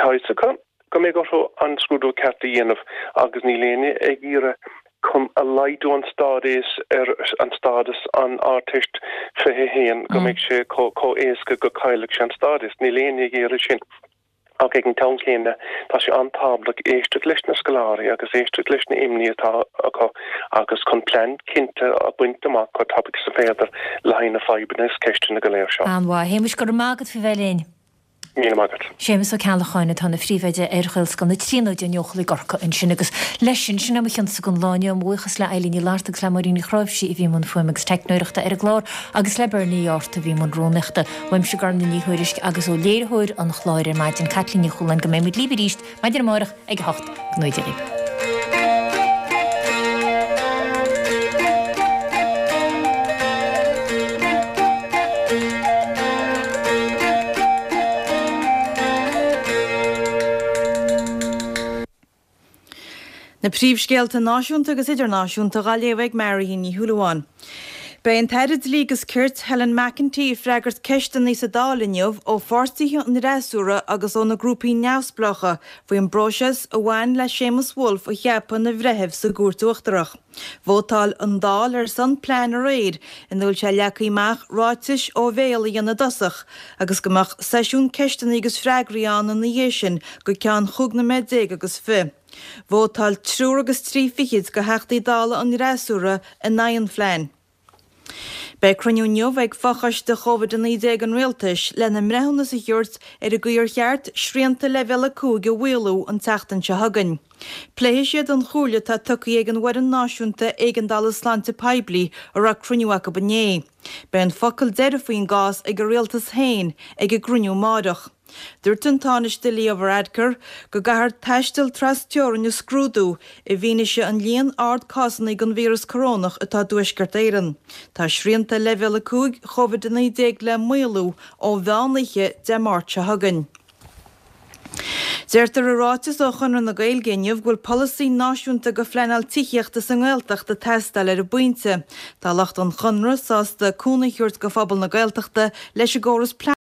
Tá fhios acu go mbeidh orthu an scrúdú ceart a dhéanamh agus níl éinne ag iarraidh chun a laghdú an stádas ar an stádas an Ardteist 21 go mbeidh sé chomh éasca go caillfeadh sé an stádas. Níl éinne ag iarraidh sin. Ach ag an t-am céanna tá sé an-tábhachtach éisteacht leis na scoláirí agus éisteacht leis na imní atá acu agus chun plean cinnte a bhaint amach chomh tapaidh is a féidir le haghaidh na fadhbanna is ceisteanna go léir seo. An-mhaith. A Shéamais, go raibh maith agat faoi bheith linn. Míle maith agat. Séamus Ó Ceallacháin atá ina phríomhoide ar Ghaelscoil na Tríonóide in Eochaill i gCorcaigh ansin agus leis sin, sin é mo chionsa don lá inniu. Mo bhuíochas le Eilín Ní Fhlatharta agus le Máirín Ní Chráimhsí a bhí i mbun fuaime agus teicneoireachta ar an gclár agus le Bernie Ó Árta a bhí i mbun rúnaíochta. Uaimse Gormfhlaith Ní Thuairisg agus ó léiritheoir an chláir ar maidin, Caitlín Ní Chualáin go mbeidh muid libh arís maidin amárach ag a 8. Go ngnóthaí Dia dhaoibh. Na príomhscéalta náisiúnta agus idirnáisiúnta dhá léamh ag Marion Ní Shúilleabháin. Beidh an tAire Dlí agus Cirt, Helen McEntee ag freagairt ceisteanna sa Dáil inniu ó pháirtithe an fhreasúra agus ó na grúpaí neamhspleácha faoin bpróiseas a bhain le Séamus Woulfe a cheapadh ina bhreitheamh sa gCúirt Uachtarach. Vótáil an Dáil ar son plean aréir ina bhfuil sé leagtha amach ráitis ó bhéal a dhéanamh i dtosach agus go mbeadh seisiún ceisteanna agus freagraí ann ina dhiaidh sin go ceann chúig noiméad déag agus fi. Vótáil triúr agus trí fichid de Theachtaí Dála an fhreasúra in aghaidh an phlean. Beidh cruinniú inniu ag fochoiste Covid-19 an Rialtais lena mbreithiúnas a thabhairt ar an gcaoi ar cheart srianta Leibhéal 5 a mhaolú an tseachtain seo chugainn. Pléifidh siad an chomhairle atá tugtha ag an bhFoireann Náisiúnta Éigeandála Sláinte Poiblí a raibh cruinniú acu inné. Beidh an focal deiridh faoin gcás ag an Rialtas féin ag an gcruinniú amáireach. Dúirt an Tánaiste Leo Varadkar go gcaithfear taisteal tras-teorainn a scrúdú i bhfianaise an líon ard cásanna den víreas corónach atá i dTuaisceart Éireann. Tá srianta Leibhéal 5 Covid-19 le maolú ó mheán oíche Dé Máirt seo chugainn. Deirtear i ráiteas ó Chonradh na Gaeilge inniu go bhfuil polasaí náisiúnta do phleanáil tithíochta sa nGaeltacht ag teastáil ar an bpointe. Tá lucht an Chonradh sásta cúnamh a thabhairt do phobal na Gaeltachta leis an gcóras pleanála.